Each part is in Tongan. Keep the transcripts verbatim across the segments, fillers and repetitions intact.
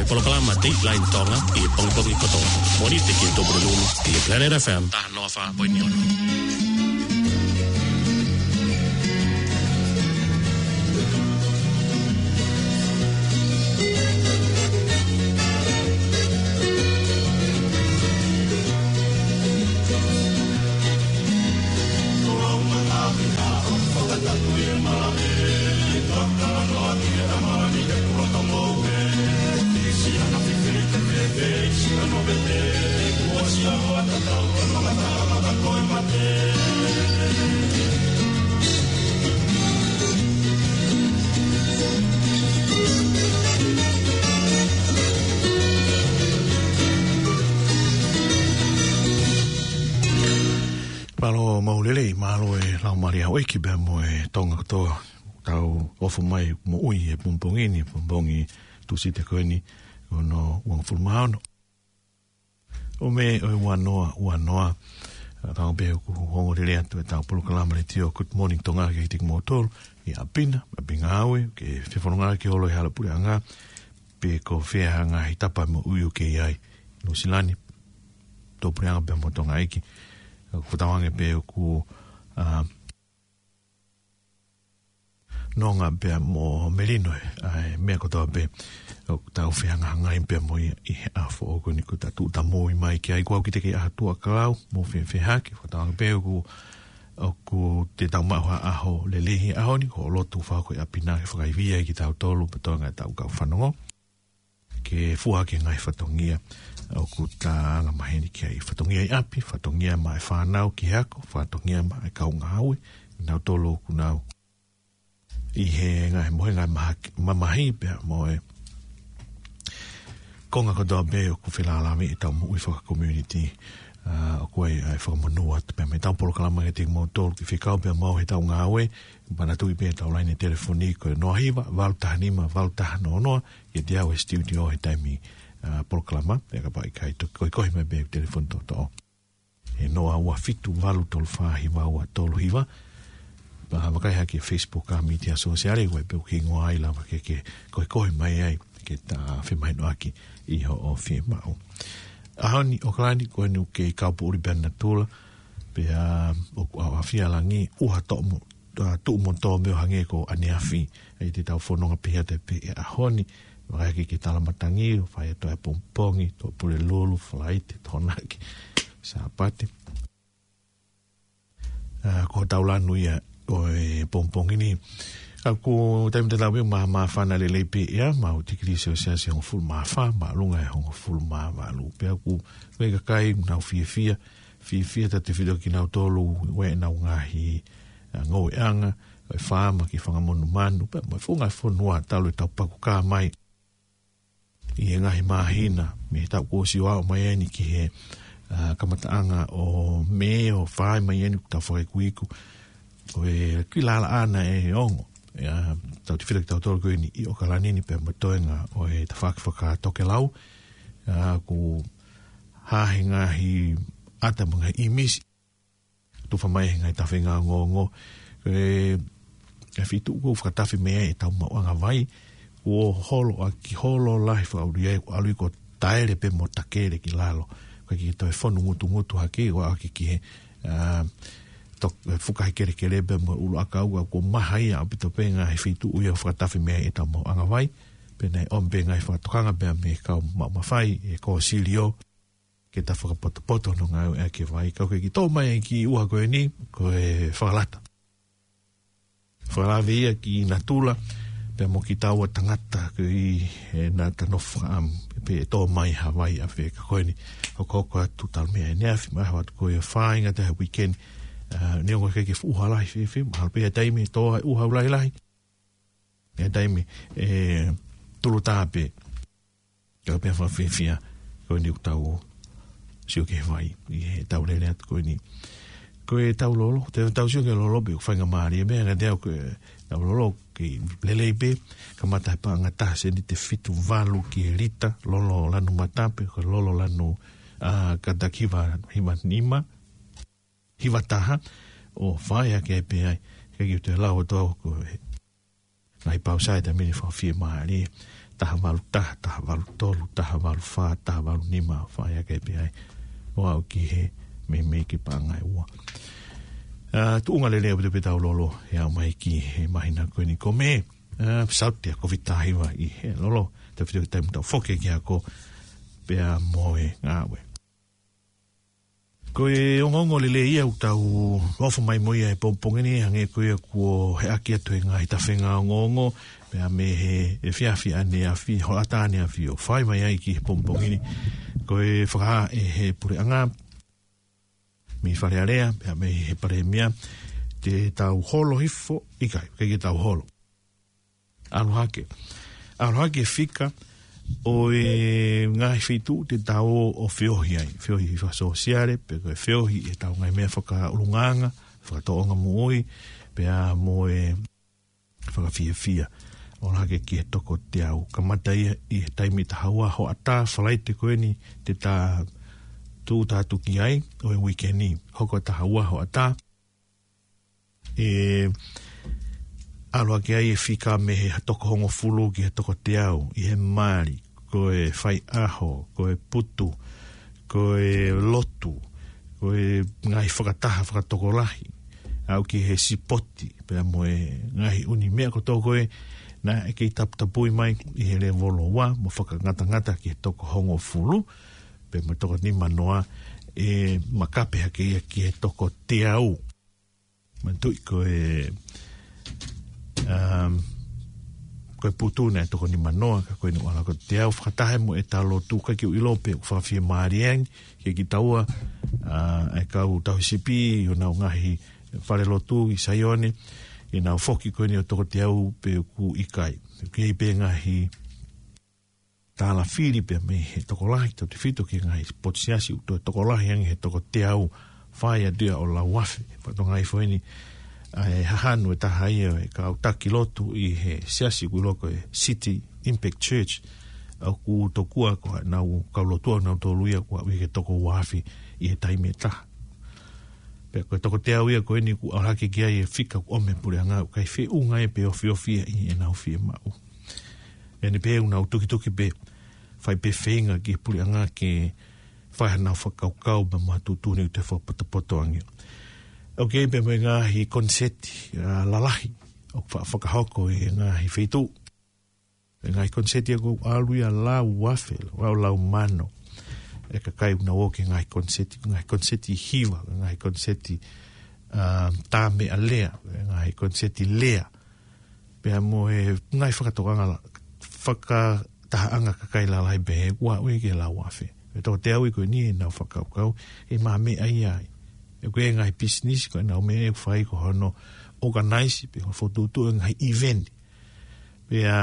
Polokalama Dateline Tonga ʻi he pongipongi kotoa. Mōnite ki he Tupuna Lulu ʻi he Planet F M. Taha noa fā poini ono. Mālō maʻu lelei, mālō e laumālie ʻo e ʻEiki pea mo e Tonga kotoa. Tau ʻofa mai moʻui he pongipongi ni, pongipongi Tūsite ko eni, ono uangofulu mā ono. ʻO Mē ʻo e ua noa ua noa. ʻA, tau pē ʻoku ongo lelei atu ʻetau polokalama letiō Good Morning Tonga kiate kimoutolu ʻi ʻapi na, ʻapi ngāue, ke fefononga ke holo ʻi he hala puleʻanga, pe ko fē ha ngaahi tapa moʻui ʻoku ke ʻi ai, Nuʻusila ni, tuʻapuleʻanga pea mo Tonga ʻeiki. ʻOku tauange pē ʻoku, ʻa, nonga pea mo melino ʻa e meʻa kotoa pē ʻoku tau fehangahangai pea mo ia ʻi he ʻaho foʻou ko eni kuo ta tuʻutāmaki mai ki ai. Kuo ʻosi ʻi he ʻaho Tuʻa Kalau mo fefehaki, ʻoku tauange pē ʻoku, ʻoku te tau maʻu ha ʻaho lelei he ʻaho ni, ko e lotu fakakau ʻi ʻapi na ke fakaivia ai kitautolu pea mo e ngaahi tau kau fanongo. Ke fua ki he ngaahi fatongia ʻoku ta anga maheni ki ai, fatongia ʻi ʻapi, fatongia maʻa e fānau ki he ako, fatongia maʻa e kau ngāue, nautolu ʻoku nau ʻi he ngaahi mohenga maha-, mamahi pea mo e konga kotoa pē ʻoku felālāveʻi ʻetau moʻui fakakomiunitī. ʻA, ʻoku ʻi ai ʻa e fakamonū atu pea mo ʻetau polokalama kiate kimoutolu ke fekau pea mo au he tau ngāue, manatuʻi pē ʻetau laine telefoni ko e noa hiva, valu taha nima, valu taha noa noa, kiate au he studio he taimi, ʻa, polokalama, pea kapau ʻe ʻikai, toki koekoe mai pē telefoni toʻotoʻo. He noa ua fitu, valu tolu fā, hiva ua tolu hiva. Pea vakai hake Facebook ʻa e mītia sōsiale, ʻoku ʻi ai pē ʻoku hingoa ai lava ke, ke koekoe mai ai, ke ta femahinoʻaki ʻi hoʻo fiemaʻu. ʻAho ni ʻOkalani ko eni ʻoku kei kau poʻuli pē ʻa natula, pea ʻoku ʻaoʻafia langi, ʻuha toʻo mo ʻa, tuʻu mo tō meʻa ʻo hangē ko ʻaneafi. ʻAi te tau fononga pē ʻi he ʻaho ni. Vakai hake ki he tala matangi, ʻo fai atu ʻa e pongipongi, Tuʻapulelulu, Falaite, Tokonaki, Sāpate. ʻA, ko hotau lanu ia ʻo e pongipongi ni. ʻA, ko e taimi tatau pē ʻoku māfana lelei pē ia, maʻu tikilī selesiasi hongofulu mā fā, māʻolunga ʻi he hongofulu mā valu. Pea ʻoku ʻi ai e kakai ʻoku nau fiefia, fiefia tautefito kinautolu ʻi heʻenau ngaahi, ʻa, ngoueʻanga, ʻo e faama ki he fanga monumanu, pea mo e fuʻu ngaahi fonua talu ʻetau pakukā mai ʻi he ngaahi māhina, mei he taʻu kuo ʻosi ʻo aʻu mai eni ki he, ʻa, kamataʻanga ʻo Mē ʻo fai mai eni ʻoku tau fakaikuiku. Ko e kiʻi lālanga ʻe ongo. ʻIa, tautefito kitautolu ko eni ʻi ʻOkalani ni pea mo e toenga ʻo e tafaʻaki fakatokelau. ʻA, ʻoku hā he ngaahi ʻata mo e ngaahi ʻīmisi. Tufa mai he ngaahi tafe ngāue ongoongo. ʻE, ʻe fitu ʻoku fakatafe mei ai ʻetau maʻuʻanga vai. Kuo holo ʻaki holo lahi fakaʻuli ai, ʻalu ʻo taele pē mo takele ki lalo. Ka ke toe fonu ngutungutu hake, ʻo aʻu ki he, ʻa, tok-, ʻe fukahi kelekele pea mo e ʻuluʻakau, ka kuo maha ia ʻaupito pē ngaahi feituʻu ia ʻoku fakatafe mei ai ʻetau maʻuʻanga vai. Pea naʻe ʻomi pē ngaahi fakatokanga pea mei he kau maʻu mafai, ʻe kōsilio, ke ta fakapotopoto hono ngāueʻaki e vai. Ka ʻoku kei tō mai e kiʻi ʻuha ko eni, ko e fakalata. Fakalave ia ki natula, pea mo kitaua tangata ko ē ʻi heʻenau nofo fakaʻamu, pe ʻe tō mai ha vai ʻafē. Ka ko eni, hokohoko atu talu mei ʻaneafi, mai atu ko e fāinga taha weekend, ʻa, neongo ʻoku ʻikai ke fuʻu ʻuha lahi fēfē, mahalo pē ʻi ha taimi ʻe tō ai ʻuha lahilahi. ʻI ha taimi ʻe tulutā pē. Ka pea fakafiefia, ko eni ʻoku tau sio ki he vai, ʻi heʻetau lele atu ko eni. Ko ʻetau lolo, te tau sio ki he lolo pē ʻoku faingamālie, meʻa ngata ai ko ʻetau lolo, kei lelei pē, kamata he paʻanga taha sēniti ʻe fitu valu ki he lita, lolo lanu mata pe ko e lolo lanu, ʻa, kātaki hiva, hiva nima, hiva taha, ʻo fai hake ai pē ai, ke kiu te lau atu au ko e ngaahi pausa ʻe taimi ni fakafiemālie. taha valu taha, taha valu tolu, taha valu fā, taha valu nima, fai ake pē ai. ʻO aʻu ki he meimei kiʻi paʻanga ʻe ua. ʻA, tuʻunga lelei ʻo pito pē ʻetau lolo, ʻe aʻu mai ki he māhina ko eni ko Mē. ʻA, sauti ʻa e Kōviti taha hiva ʻi he lolo, tautefito ki he taimi ʻoku tau foki ki ai ko ē pea mo e ngāue. Ko e ongoongo lelei ia ʻoku tau ofo mai mo ia he pongipongi ni, hangē ko ia kuo heʻaki atu he ngaahi tafenga ongoongo, pea mei he efiafi ʻaneafi, hoʻatā ʻaneafi ʻo fai mai ai ki he pongipongi ni. Ko e fakahā ʻe he puleʻanga mei Fale Alea, pea mei he palēmia, te tau holo hifo, ʻikai, ʻikai ke tau holo. ʻAlu hake. ʻAlu hake e fika ʻo e ngaahi feituʻu te tau ō ʻo feohi ai. Feohi fakasōsiale, pe ko e feohi ʻi heʻetau ngaahi meʻa fakaʻulungaanga, fakatōʻonga moʻui, pea mo e fakafiefia. ʻAlu hake ki he toko teau. Kamata ia ʻi he taimi ʻe taha ua hoʻatā, Falaite ko eni te ta tūʻuta atu ki ai, ʻo e uike ni. Hoko ʻe taha ua hoʻatā. ʻE ʻalu hake ai e fika mei he toko hongofulu ki he toko teau, ʻi he mali, ko e faiʻaho, ko e putu, ko e lotu, ko e ngaahi fakataha fakatokolahi, aʻu ki he sipoti, pea mo e ngaahi ʻū meʻa kotoa ko ē naʻe kei taputapui mai ʻi he lēvolo ua, mo fakangatangata ki he toko hongofulu, pea mo e toko nima noa, ʻe makape hake ia ki he toko teau. Manatuʻi ko e, um, ko e putu naʻe toko nima noa, ka ko eni ʻoku ʻalu hake ki he toko teau, fakataha mo ʻetau lotu, ʻikai ke u ʻilo pe ʻoku fakafiemālie ange kiate kitaua, ʻa, ʻa e kau tauhisipi ʻi honau ngaahi falelotu ʻi Saione, ʻi heʻenau foki ko eni ʻo e toko teau pe ʻoku ʻikai. ʻOku ʻi ai pē ngaahi tālafili pea mei he tokolahi, tautefito ki he ngaahi potu siasi ʻoku toe tokolahi ange he toko teau, fai atu ia ʻo lauafe. Fatongia foʻi eni, ʻa e hahanu ʻe taha ia ʻo e kau taki lotu ʻi he siasi ʻoku ʻiloa ko e City Impact Church, ʻoku tokua ko ʻenau kau lotu ʻanautolu ia ʻoku aʻu ia ki he toko ua afe ʻi he taimi ʻe taha. Pea ko e toko teau ia ko eni ʻoku ʻalu hake ki ai e fika ʻoku ʻomi ʻe he puleʻanga, ʻoku ʻikai feʻunga ia pe ofiofi ia ʻi heʻenau fiemaʻu. ʻEni pē ʻoku nau tukituki pē, fai pē feinga ki he puleʻanga ke fai haʻanau fakakaukau pea mo ha tuʻutuʻuni ʻoku toe fakapotopoto ange. ʻOku ʻi ai pē mo e ngaahi koniseti, ʻa, lalahi ʻoku fa-, fakahoko ʻi he ngaahi feituʻu. E ngaahi koniseti ia ʻoku ʻalu ia lauafe, lau, lau mano e kakai ʻoku nau ō ki he ngaahi koniseti, ngaahi koniseti hiva, ngaahi koniseti, ʻa, tā meʻa lea, ngaahi koniseti lea. Pea mo e ngaahi fakatokanga la-, fakatahaʻanga kakai lalahi pehē ʻoku aʻu ia ki he lauafe. E toko teau ia ko eni ʻenau fakakaukau, ʻe maʻu meʻa ia ai. ʻOku ʻi ai e ngaahi pisinisi ko ʻenau meʻa ʻoku fai ko hono ʻokanaisi pe ko e fokotuʻutuʻu e ngaahi ʻiveni. Pea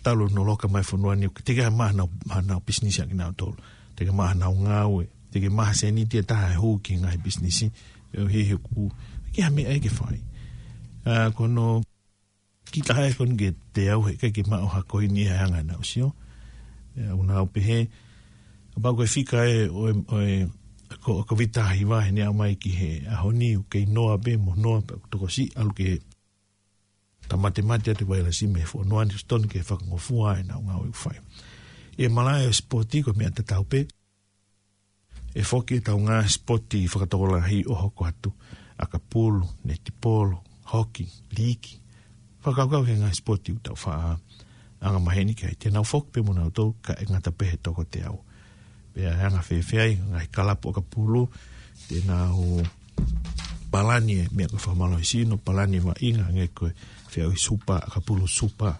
talu hono loka mai e fonua ni, ʻoku teʻeki ai maʻu haʻanau, haʻanau pisinisi ʻa kinautolu. Teʻeki ai maʻu haʻanau ngāue, teʻeki ai maʻu ha sēniti ʻe taha ʻe hū ki he ngaahi pisinisi, ʻo hiki ʻoku ʻikai ha meʻa ia ke fai. ʻA, ko hono kiʻi taha ia ko eni ki he teau, heʻikai ke maʻu ha koini ia he anga ʻenau sio. ʻE, ʻoku nau pehē, kapau ko e fika ē ʻo e, ʻo e, ko, Kōviti taha hiva, he naʻe aʻu mai ki he ʻaho ni, ʻoku kei noa pē mo noa pē, ʻoku tokosiʻi ʻalu ki he tamatemate atu e vailasi mei he fonua ni, ʻosi tonu ke fakangofua ʻenau ngāue ʻoku fai. ʻI he malaʻe ʻo e sipoti ko e meʻa tatau pē, ʻe foki ʻetau ngaahi sipoti fakatokolahi ʻo hoko atu, ʻakapulu, netipolo, hoki, liiki. Fakakaukau ki he ngaahi sipoti ʻoku tau faʻa angamaheni ki ai, te nau foki pē mo nautolu kae ʻikai ngata pē he toko teau. Pea ʻe anga fēfē ai e ngaahi kalapu ʻakapulu, te nau palani e meʻa ko e fakamālohisino, palani e vaʻinga, hangē ko e feʻauhi supa, ʻakapulu supa.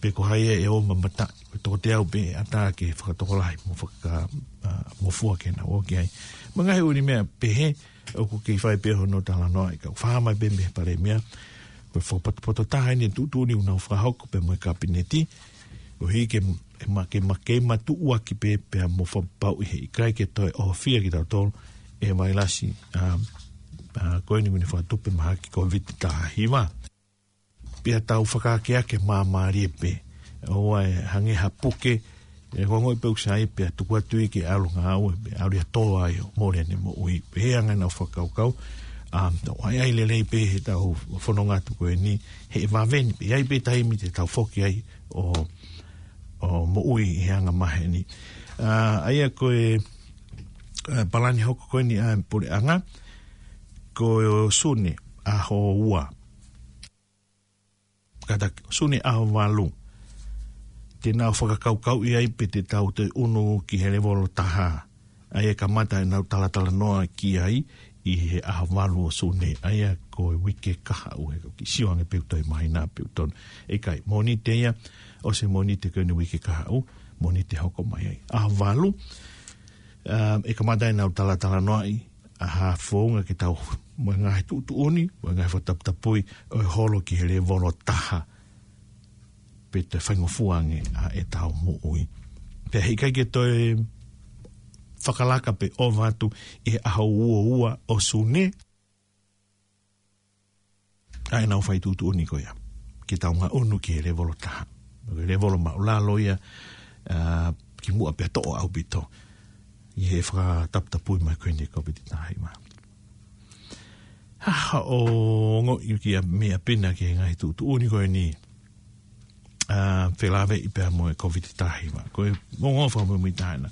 Pe ko hai ʻe ō mamata, ko e toko teau pē ʻe ʻatā ke fakatokolahi mo faka-, ʻa, mo fua ke nau ō ki ai. Mo e ngaahi ʻū meʻa pehē, ʻoku kei fai pē hono talanoaʻi, ka ʻoku fakahā mai pē mei he palēmia, ko e fakapotopoto taha eni e tuʻutuʻuni ʻoku nau fakahoko pea mo e kapineti, ʻo hiki ke, ke ma-, ke ma-, ke matuʻuaki pē pea mo fakapapauʻi he ʻikai ke toe ʻohofia kitautolu ʻe he vailasi, ʻa, ʻa, ko eni ʻoku ne fakatupu mahaki Kōviti taha hiva. Pea tau fakaakeake māmālie pē. ʻOua ʻe hangē ha puke, ʻe ongoʻi pē ʻoku sai pea tuku atu ia ke ʻalu ngāue, pea ʻalu ia ʻo tō ai ʻo mole ʻene moʻui. Pehē ange ʻenau fakakaukau, ʻA, tau ʻai ʻai lelei pē he tau fononga atu ko eni, he vave ni pē, ʻai pē taimi te tau foki ai ʻo, ʻo moʻui he anga maheni. ʻA, ʻa ia ko e, ʻa, palani hoko ko eni ʻa e puleʻanga, ko Sune ʻaho ua. Kātaki, Sune ʻaho valu. Te nau fakakaukauʻi ai pe te tau toe ʻunu ki he levolo taha. ʻA ia kamata ʻenau talatalanoa ki ai ʻi he ʻaho valu ʻo Sune. ʻA ia ko e uike kahaʻu, he ko e kiʻi sio ange pe ʻoku toe mahino pe ʻoku tonu. ʻIkai, Mōnite ia, ʻosi Mōnite ko eni uike kahaʻu, Mōnite hoko mai ai. ʻAho valu, um, ʻe kamata ʻenau talatalanoaʻi ʻa ha founga ke tau mo e ngaahi tuʻutuʻuni, mo e ngaahi fakataputapui ʻo e holo ki he levolo taha. Pe toe faingofua ange ʻa ʻetau moʻui. Pea heʻikai ke toe fakalaka pe ʻova atu ʻi he ʻaho ua ua ʻo Sune ʻa ʻenau fai tuʻutuʻuni ko ia. Ke tau ngaʻunu ki he levolo taha. Ko e levolo māʻulalo ia, ʻa, kimuʻa pea toʻo ʻaupito ʻi he fakataputapui mai ko eni ʻa e Kōviti taha hiva. Ha, ha, ʻo ongoʻi ki ha meʻa pē naʻa ke ngaahi tuʻutuʻuni ko eni, ʻa, felāveʻi pea mo e Kōviti taha hiva. Ko e ongo fakamuimui taha ena.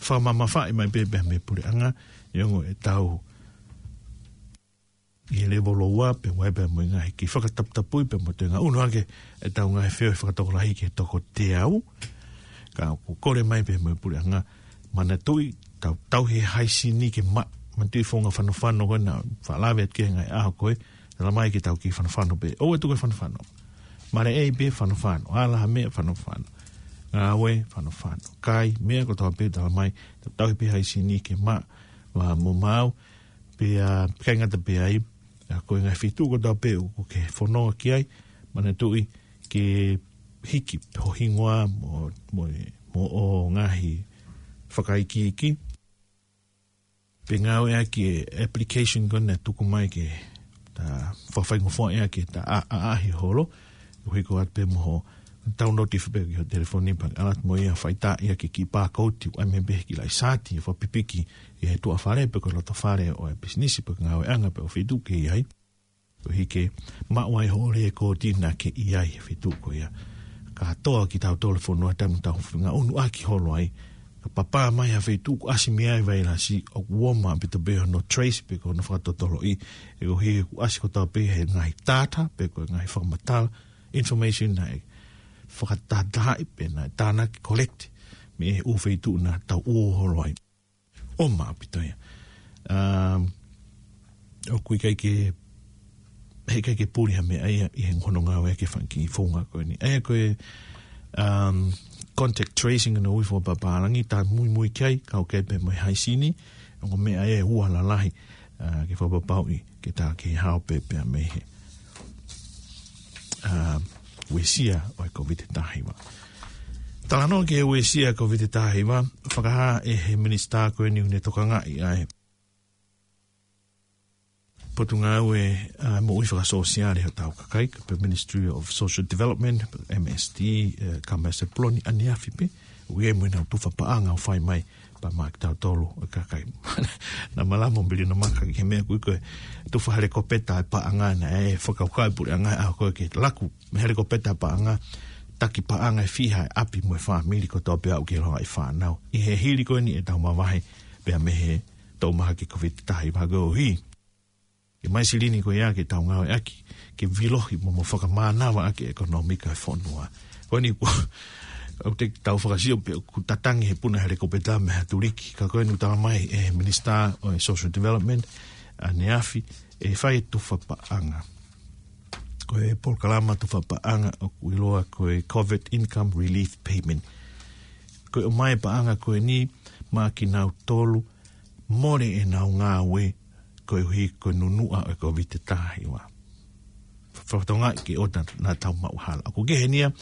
Fakamamafaʻi mai pē pea mei he puleʻanga, ʻi he ongo ʻetau ʻi he levolo ua, pea ʻoku ʻi ai pea mo e ngaahi kiʻi fakataputapui, pea mo e toe ngaʻunu ake ʻetau ngaahi feohi fakatokolahi ki he toko teau. Ka ʻoku kole mai pē mo e puleʻanga, manatuʻi, tau, tau he haisini ke maʻu, manatuʻi founga fanofano ko ena, fakalave atu ki he ngaahi ʻaho ko ē, tala mai ke tau kiʻi fanofano pē, ʻoua ʻe tuku e fanofano. Maleʻei pē fanofano, ala ha meʻa fanofano. Ngāue fanofano. Kai, meʻa kotoa pē tala mai, tau, tau he pē haisini ke maʻu, ʻa, mo maau, pea, ʻikai ngata pē ai, ʻa, ko e ngaahi feituʻu kotoa pē ʻoku ke fononga ki ai, manatuʻi ke hiki ho hingoa mo, mo, mo hoʻo ngaahi fakaikiiki. Pea ngāueʻaki e application ko ena ʻe tuku mai ke ta fakafaingofuaʻi ʻaki ʻeta ʻa, ʻa, ʻaʻahi holo, ʻo hiko atu pē mo hoʻo download ʻi he pē ki ho telefoni pea ʻalu atu mo ia, fai tā ia ki he kiʻi pākouti, ʻai mai pē ki he laʻi sāti, fakapipiki ʻi he tuʻa fale pe ko e loto fale ʻo e pisinisi pe ko e ngāueʻanga pe ko e feituʻu ʻoku ke ʻi ai. Koeʻuhi ke maʻu ai hoʻo lēkooti naʻa ke ʻi ai he feituʻu ko ia. Kātoa kitautolu he fonua, taimi ʻoku tau ngaʻunu ʻaki holo ai, ka papā mai ha feituʻu ʻoku ʻasi mei ai vailasi, ʻoku ʻumaʻā ʻaupito pē hono trace pe ko hono fakatotoloʻi, he koeʻuhi ʻoku ʻasi kotoa pē he ngaahi data pe ko e ngaahi fakamatala, information naʻe fakatahatahaʻi pe naʻe tānaki, collect mei he ʻū feituʻu naʻa tau ʻū holo ai. ʻUmaʻā ʻaupito ia. Um, ʻoku ʻikai ke, heʻikai ke puli ha meʻa ia ʻi he hono ngāueʻaki e fanga kiʻi founga ko eni. ʻA ia ko e, um, contact tracing ʻi hono ui fakapapālangi, tā muimui ki ai, kau ki ai pē mo e haisini, ongo meʻa ia ʻe ua lalahi, ʻa, ke fakapapauʻi ke tā ke hao pē pea mei he, ʻa, uesia ʻo e Kōviti taha hiva. Talanoa ki he uesia Kōviti taha hiva, fakahā ʻe he minisitā ko eni ʻoku ne tokangaʻi ʻa e Potungāue, ʻa, Moʻui Fakasōsiale hotau kakai, pe Ministry of Social Development, M S D, ʻe, Kamea Sepuloni, ʻaneafi pē, ʻoku ʻi ai mo ʻenau tufa paʻanga ʻoku fai mai pea maʻa kitautolu ʻa e kakai. Naʻa malamo Billy Namaka ki he meʻa ko ē ko e tufa helikopeta e paʻanga naʻe fakakaukau e puleʻanga ʻa ko ē ke laku mei he helikopeta e paʻanga, taki paʻanga ʻe fiha e ʻapi mo e fāmili kotoa pē ʻoku ke longaʻi fānau. ʻI he hili ko eni ʻetau mavahe pea mei he toʻu mahaki Kōviti taha hiva koeʻuhi ke ʻomai silini ko ia ke tau ngāueʻaki, ke vilohi mo, mo fakamānava ʻaki e ʻekonōmika e fonua. Ko eni kuo, ʻoku te tau fakasio pē ʻoku tatangi he puna helikopeta mei ha tuliki, ka ko eni ʻoku tala mai ʻe he minisitā ʻo e Social Development, ʻaneafi, ʻe fai e tufa paʻanga. Ko e polokalama tufa paʻanga ʻoku ʻiloa ko e Covid Income Relief Payment. Ko e ʻomai e paʻanga ko eni maʻa kinautolu mole ʻenau ngāue koeʻuhi ko e nunuʻa ʻo e Kōviti taha hiva. Fakatokangaʻi ke ʻoua naʻa tau maʻu hala. ʻOku kehe eni ia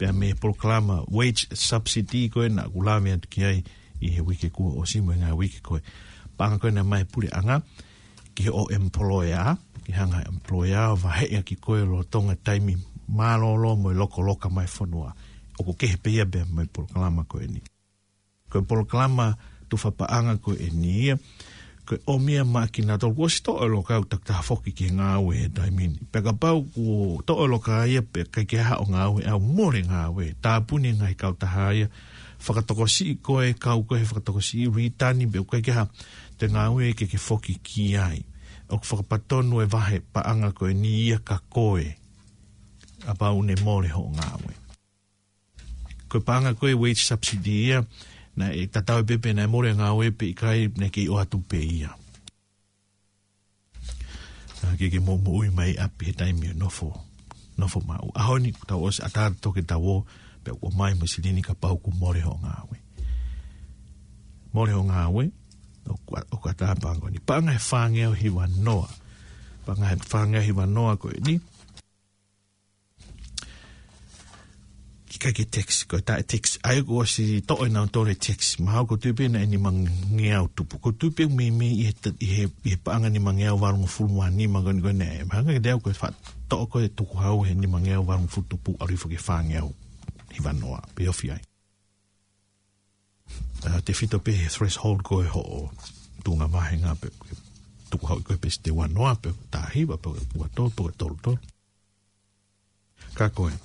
pea mei he polokalama wage subsidy ko ē naʻa ku lave atu ki ai ʻi he uike kuo ʻosi mo e ngaahi uike ko ē. Paʻanga ko ē naʻe ʻomai ʻe he puleʻanga ki hoʻo employer, ke hanga ʻe he employer ʻo vaheʻi ʻaki koe lolotonga e taimi mālōlō mo e lokoloka mai e fonua. ʻOku kehe pē ia pea mei he polokalama ko eni. Ko e polokalama tufa paʻanga ko eni ia, Ko e ʻomi ia maʻa kinautolu kuo ʻosi toʻo e loka ʻo takitaha foki ki he ngāue he taimi ni. Pea kapau kuo toʻo e loka ia pea ʻikai ke haʻu ʻo ngāue, ʻe mole e ngāue. Tāpuni e ngaahi kautaha ia, fakatokosiʻi koe, kau koe he fakatokosiʻi, return, pea ʻikai ke haʻu, te ngāue ke ke foki ki ai. ʻOku fakapatonu e vahe paʻanga ko eni ia kia koe, kapau ʻe mole hoʻo ngāue. Ko e paʻanga ko e wage subsidy ia, naʻe tatau pē pe naʻe mole e ngāue pe ʻikai, naʻe kei ʻoatu pē ia. Naʻa ke ke moʻumoʻui mai ʻi ʻapi he taimi ʻo e nofo, nofo maʻu. ʻAho ni, tau ʻosi ʻatā atu ke tau ō, pea ʻomai mo e silini kapau kuo mole hoʻo ngāue. Mole hoʻo ngāue, ʻoku, ʻoku ʻatā paʻanga ko eni. Paʻanga ʻe fāngeau hiva noa. Paʻanga ʻe fāngeau hiva noa ko eni. ʻIkai ke tax, ko e taʻe tax. ʻA ia kuo ʻosi toʻo ʻe nautolu e tax. Mahalo ʻoku ou tui pē naʻe nimangeau tupu. ʻOku ou tui pē meimei ʻi he ta-, ʻi he, ʻi he paʻanga nimangeau valungofulu mā nima ko eni ko eni. Mahalo ke te au ko e fa-, toʻo ko e tukuhau he nimangeau valungofulu tupu ʻalu hifo ki he fāngeau hiva noa. Pea ofi ai. ʻA, tefito pē he threshold ko e hoʻo tuʻunga vāhenga pe, tukuhau ko e pēseti ua noa pe, taha hiva pe, ua tolu pe, tolu tolu. Ka ko e.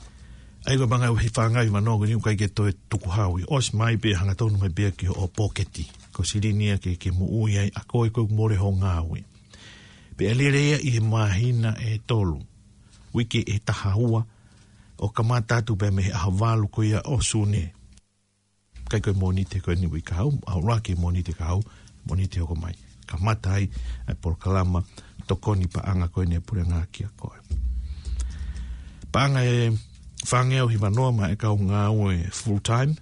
ʻA ia ko e paʻanga ʻe fāngeau hiva noa ko eni ʻoku ʻikai ke toe tukuhau ia. ʻOsi mai pē hangatonu mai pē ia ki hoʻo pōketi. Ko e silini ia ke, ke moʻui ai ʻa koe kuo mole hoʻo ngāue. Pea ʻe lele ia ʻi he māhina ʻe tolu. Uike ʻe taha ua. ʻO kamata atu pē mei he ʻaho valu ko ia ʻo Sune. ʻIkai ko e Mōnite ko eni uike kahaʻu, ʻalu hake Mōnite kahaʻu, Mōnite hoko mai. Kamata ai e polokalama tokoni paʻanga ko eni ʻa e puleʻanga kia koe. Paʻanga ʻe fāngeau hiva noa maʻa e kau ngāue full time,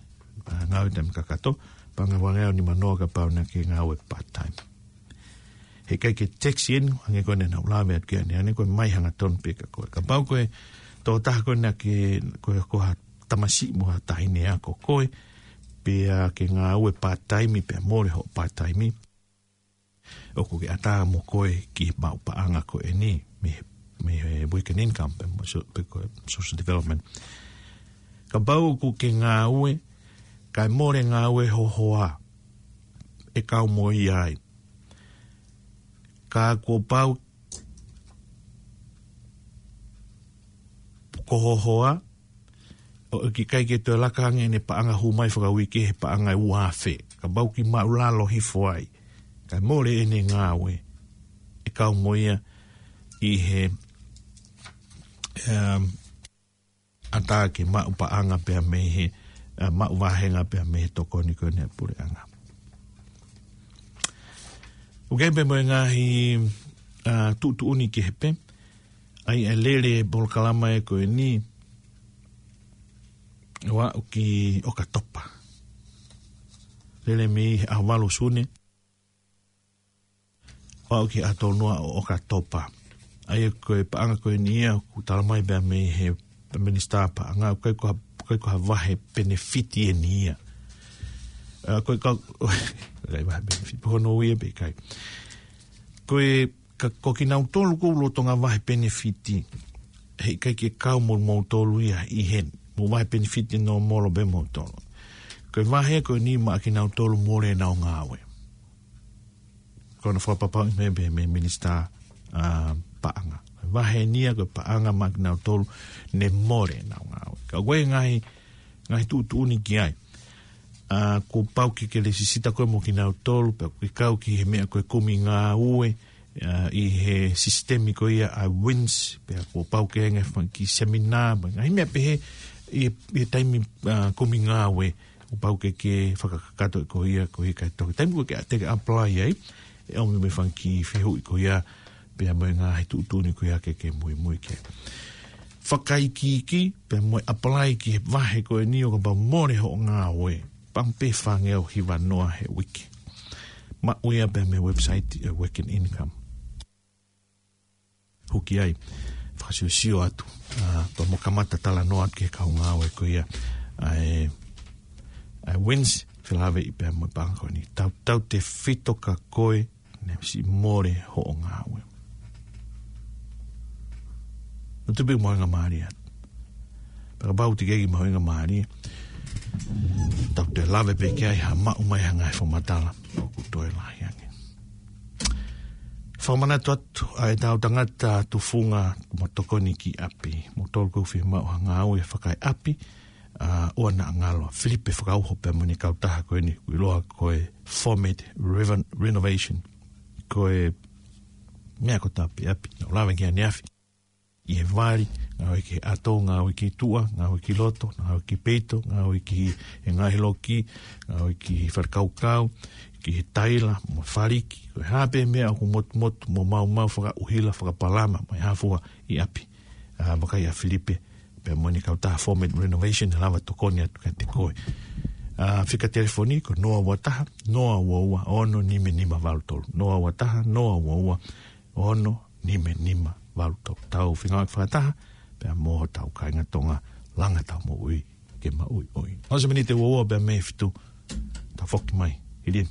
ʻa, ngāue taimi kakato, paʻanga ʻe fāngeau nima noa kapau naʻa ke ngāue part time. He ʻikai ke tax eni, hangē ko eni naʻa ku lave atu ki ai ʻanenai, ko e mai hangatonu pē kia koe. Kapau ko e tokotaha ko eni naʻa ke, ko e, ko ha tamasiʻi mo ha taʻahine ako koe, pea ke ngāue part time, pea mole hoʻo part time. ʻOku ke ʻatā mo koe ki he maʻu paʻanga ko eni, mei, mei he weekend income, pe mo so-, pe ko e social development. Kapau ʻoku ke ngāue, kae mole e ngāue ho hoa, ʻe kau mo ia ai. Ka kuo pau ko ho hoa, ʻoku ʻikai ke toe laka ange ʻene paʻanga hū mai fakauike he paʻanga ʻe ua afe. Kapau ʻoku ke maʻulalo hifo ai. Kae mole ʻene ngāue. ʻE kau mo ia ʻi he, um, ʻatā ke maʻu paʻanga pea mei he, ʻa, maʻu vāhenga pea mei he tokoni ko eni ʻa e puleʻanga. ʻOku ʻi ai pē mo e ngaahi, ʻa, tuʻutuʻuni kehe pē, ʻa ia ʻe lele e polokalama ē ko eni, ʻo aʻu ki ʻOkatopa. Lele mei he ʻaho valu Sune, ʻo aʻu ki he ʻaho tolu noa ʻo ʻOkatopa. ʻA ia ko e paʻanga ko eni ia, ʻoku tala mai pē mei he, pē minisitā paʻanga, ʻoku ʻikai ko ha, ʻikai ko ha vahe penefiti eni ia. ʻA, ko e ka, ʻikai vahe penefiti, pe ko hono ui ia pe ʻikai. Ko e, ka, ko kinautolu ʻoku lolotonga vahe penefiti, heʻikai ke kau mo moutolu ia ʻi heni, mou vahe penefiti nōmolo pē moutolu. Ko e vahe ko eni maʻa kinautolu mole ʻenau ngāue. Ko hono fakapapauʻi mai pē mei he minisitā, ʻa, paʻanga. Vahe eni ia ko e paʻanga maʻa kinautolu ne mole ʻenau ngāue. Ka ko e ngaahi, ngaahi tuʻutuʻuni ki ai. ʻA, kuo pau ke ke lēsisita koe mo kinautolu, pea ke kau ki he meʻa ko e kumi ngāue, ʻa, ʻi he sisitemi ko ia ʻa e wins, pea kuo pau ke ʻi ai e fanga kiʻi seminā, mo e ngaahi meʻa pehē ʻi, ʻi he taimi, ʻa, kumi ngāue, kuo pau ke ke fakakakato ʻe koe ia, ko e ʻikai toki. Taimi ko ē ke te ke apply ai, ʻe ʻomi mo e fanga kiʻi fehuʻi ko ia, pea mo e ngaahi tuʻutuʻuni ko ia ke ke muimui ki ai. Fakaikiiki, pea mo e apply ki he vahe ko eni ʻo kapau mole hoʻo ngāue, paʻanga pē fāngeau hiva noa he uike. Maʻu ia pea mei he website ʻa e Working Income. Hū ki ai, fakasiosio atu, ʻa, pea mo kamata talanoa atu ki he kau ngāue ko ia, ʻa e, ʻa e wins, felāveʻi pea mo e paʻanga ko eni. Tau, tautefito kia koe, ne siʻi mole hoʻo ngāue. Naʻa tuʻu pē mahuʻinga mālie atu. Pea kapau ʻoku teʻeki ai ke mahuʻinga mālie, tau toe lave pē ki ai ha maʻu mai ha ngaahi fakamatala ʻoku toe lahi ange. Fakamanatu atu ʻa e tau tangata tufunga mo tokoni ki ʻapi. Mo tolu ko fie maʻu ha ngāue fakaeʻapi, ʻa, ʻoua naʻa ngalo. Filipe Fakauho pea mo ʻene kautaha ko eni, ʻoku ʻiloa ko e Format Reven-, Renovation. Ko e meʻa ko e tāpuaki ʻapi. Naʻa ku lave ki ai ʻaneafi. ʻI he vali, ngāue ki he ʻato, ngāue ki tuʻa, ngāue ki loto, ngāue ki peito, ngāue ki he ngaahi loki, ngāue ki he falekaukau, ki he taila, mo e faliki. Ko e hā pē meʻa ʻoku motumotu, mo maumau fakaʻuhila, fakapalama, mo e hā fua ʻi ʻapi. ʻA, vakai ʻa Filipe, pea mo ʻene kautaha Format Renovation, ʻe lava tokoni atu kiate koe. ʻA, fika telefoni ko noa ua taha, noa ua ua, ono nima nima valu tolu. Noa ua taha, noa ua ua, ono nima nima valu tolu. Tau feinga fakataha, pea mo hotau kāinga Tonga, langa ʻetau moʻui ke maʻuiʻui. Hongofulu miniti ua ua pea mei he fitu, tau foki mai. Hili.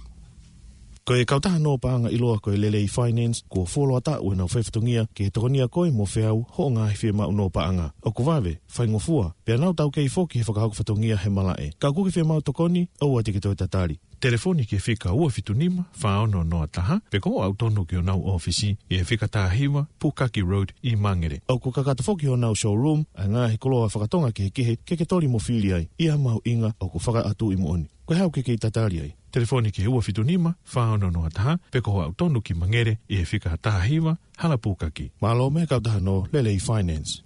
Ko e kautaha nō paʻanga ʻiloa ko e Lelei Finance, kuo fuoloa taʻu ʻenau faifatongia ke tokonia koe mo feau hoʻo ngaahi fiemaʻu nō paʻanga. ʻOku vave, faingofua, pea nau taukei foki he fakahoko fatongia he malaʻe. Ka ʻoku ke fiemaʻu tokoni, ʻoua te ke toe tatali. Telefoni ki he fika ua fitu nima, fā ono noa taha, pe ko hoʻo aʻu tonu ki honau ʻōfisi ʻi he fika taha hiva, Pukaki Road ʻi Mangere. ʻOku kakato foki honau showroom ʻa e ngaahi koloa fakatonga kehekehe ke ke toli mo fili ai, ʻi ha mahuʻinga ʻoku fakaʻatu ʻi moʻoni. Ko e hā ʻoku ke kei tatali ai? Telefoni ki he ua fitu nima, fā ono noa taha, pe ko hoʻo aʻu tonu ki Mangere ʻi he fika taha hiva, Hala Pukaki. Mālō mei he kautaha nō Lelei Finance.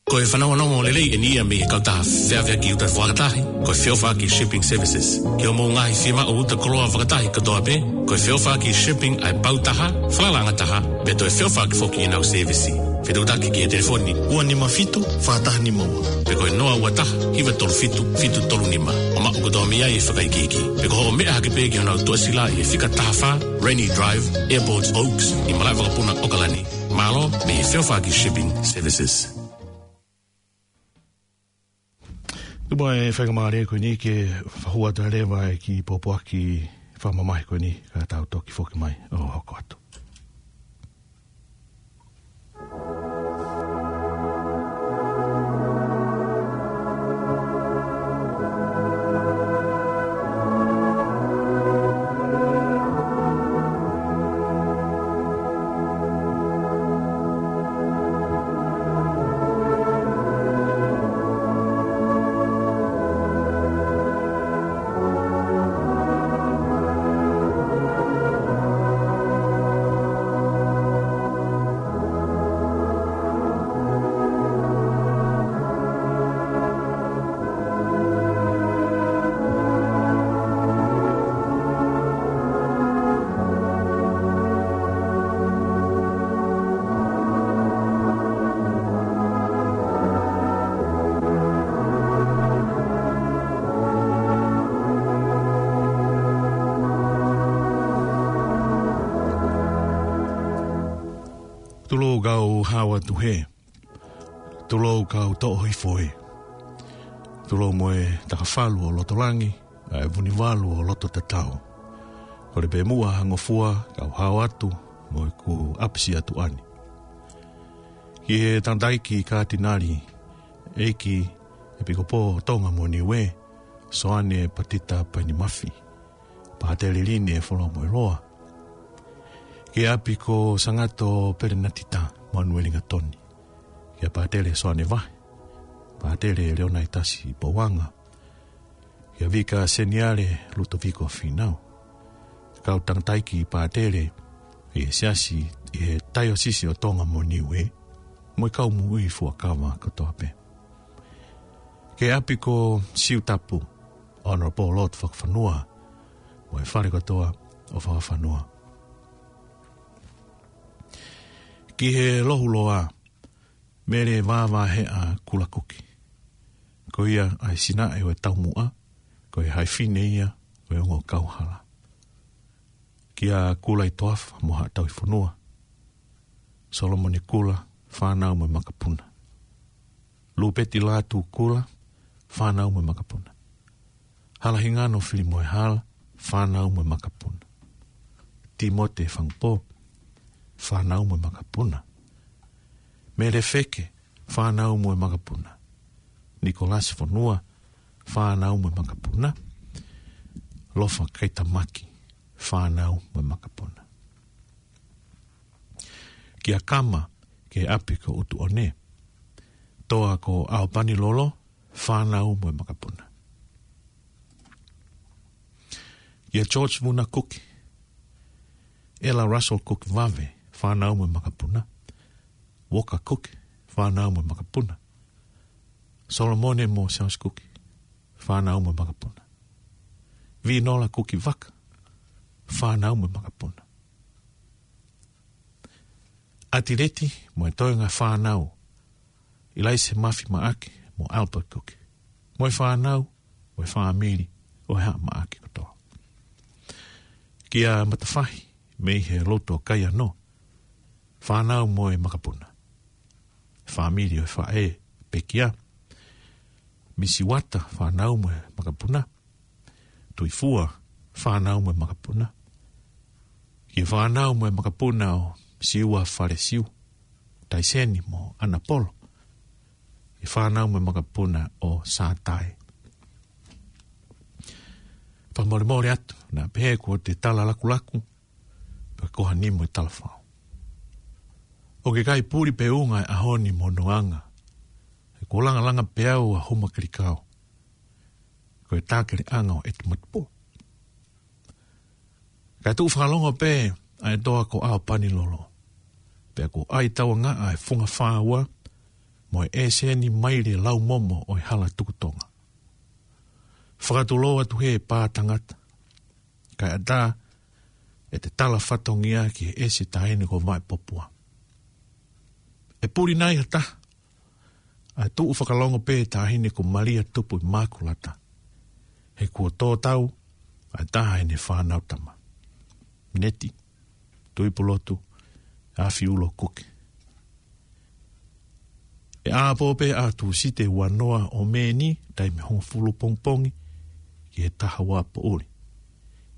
Ko e fanongonongo lelei eni ia mei he kautaha feʻaveʻaki uta fakatahi, ko e Feʻofaʻaki Shipping Services. Ki hoʻomou ngaahi fiemaʻu uta koloa fakatahi kotoa pē, ko e Feʻofaʻaki Shipping ʻa e pau taha, falalaʻanga taha, pea toe feʻofaʻaki foki ʻenau sēvisi. Fetuʻutaki ki he telefoni ua nima fitu, fā taha nima ua. Pe ko e noa ua taha, hiva tolu fitu, fitu tolu nima. ʻO maʻu kotoa mei ai e fakaikiiki. Pe ko hoʻo meʻa hake pē ki honau tuʻasila ʻi he fika taha fā, Rainy Drive, Airport Oaks, ʻi malaʻe vakapuna ʻAokalani. Mālō mei he Feʻofaʻaki Shipping Services. Tuku muʻa e faingamālie ko eni ke fakahū atu leva e kiʻi pōpoaki fakamamahi ko eni, ka tau toki foki mai ʻo hoko atu. Tulou kau hao atu hē. Tulou kau toʻo hifo ē. Tulou mo e takafalu ʻo loto langi, ʻa e vunivalu ʻo loto tatau. Kole pē muʻa ha ngofua kau hao atu mo ʻeku ʻapisi atu ʻani. Ki he tangataʻeiki Katinali, ʻEiki ʻEpikopō Tonga mo Niuē, Soane Patita Painimafi. Pātele Line Folomoeloa. Ki he ʻapi ko Sangato Pelenatita Manuelingatoni. Kia Pātele Soane Vahe. Pātele Leonaitasi Pouanga. Kia Vika Seniale Lutoviko Finau. Kau tangataʻeiki pātele ʻi he siasi ʻi he taiosisi ʻo Tonga mo Niuē. Mo e kau moʻui fuakava kotoa pē. Ki he ʻapi ko Siutapu, Honourable Lord Fakafanua, mo e fale kotoa ʻo Fakafanua. Ki he lohuloa, Mele Vavaheʻa Kulakuki. Ko ia ʻa e sinaʻe ʻo e taumuʻa, ko e haʻi fine ia ʻo e ongo kauhala. Kia Kula ʻi Toafa mo Haʻatauʻifonua. Solomone Kula, fānau mo e makapuna. Lupeti Lātū Kula, fānau mo e makapuna. Halahingano Filimoehala, fānau mo e makapuna. Timote Fangupō, fānau mo e makapuna. Mele Feke, fānau mo e makapuna. Nikolasi Fonua, fānau mo e makapuna. Lofa Kaitamaki, fānau mo e makapuna. Kia Kama, ki he ʻapi ko ʻUtuʻone. Toa ko ʻAopanilolo, fānau mo e makapuna. Kia George Vuna Kuki, Ella Russell Kuki Vave, fānau mo e makapuna. Walker Kuki, fānau mo e makapuna. Solomone mo Charles Kuki, fānau mo e makapuna. Vinola Kuki Vaka, fānau mo e makapuna. ʻAtileti mo e toenga fānau, ʻIlaise Mafi Maʻake mo Albert Kuki, mo e fānau, mo e fāmili ʻo e Haʻa Maʻake kotoa. Kia Matafahi, mei he lotu ʻo Kaiano, fānau mo e makapuna. Fāmili ʻo e faʻē, Pekia. Misi Uata, fānau mo e makapuna. Tuifua, fānau mo e makapuna. Kia fānau mo e makapuna ʻo Siua Falesiu, Taiseni mo ʻAnapolo. Kia fānau mo e makapuna ʻo Sātai. Fakamolemole atu, naʻa pehē kuo te tala lakulaku, pe ko ha nimo e talafao. ʻOku ʻikai puli pe unga e ʻaho ni mo hono anga. He kuo langalanga pē au ʻa Huma Kelikao. Ko e tākeleʻanga ʻo ʻEtu Matupo. Kae tuʻu fakalongo pē ʻa e toa ko ʻAopanilolo. Pea kuo ʻai tauangaʻa e funga fāua mo e ʻēseni maile laumomo ʻo e hala tukutonga. Fakatulou atu he pā tangata. Kae ʻatā ʻete tala fatongia ki he ʻesi taʻahine ko Vaʻepopua. ʻE puli nai ha taha, ʻa e tuʻu fakalongo pē taʻahine ko Malia Tupu ʻi Mākulata. He kuo tō tau ʻa e taha ʻene fānau tama. Neti Tuipulotu ʻAfiulo Kuki. ʻE ʻapō pē ʻa Tūsite ua noa ʻo Mē ni, taimi hongofulu pongipongi ki he taha ua poʻuli.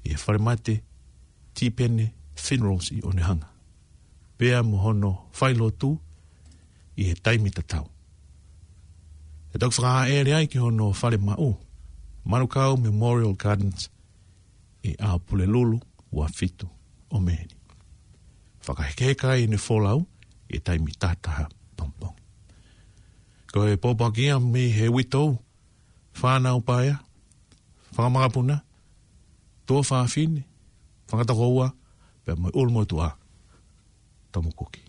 ʻI he falemate Tipene Funerals ʻi ʻOnehunga. Pea mo hono failotu ʻi he taimi tatau. ʻE toki fakahaʻele ai ki hono fale maʻu, Manukau Memorial Gardens ʻi ʻAhapulelulu ua fitu ʻo Mē ni. Fakahekeheka ai ʻene folau ʻi he taimi taha taha pongipongi. Ko e pōpoaki ia mei he uitou, fānau paea, fanga makapuna, tuofāfine, fanga tokoua, pea mo e ʻulumotuʻa, Tomo Kuki.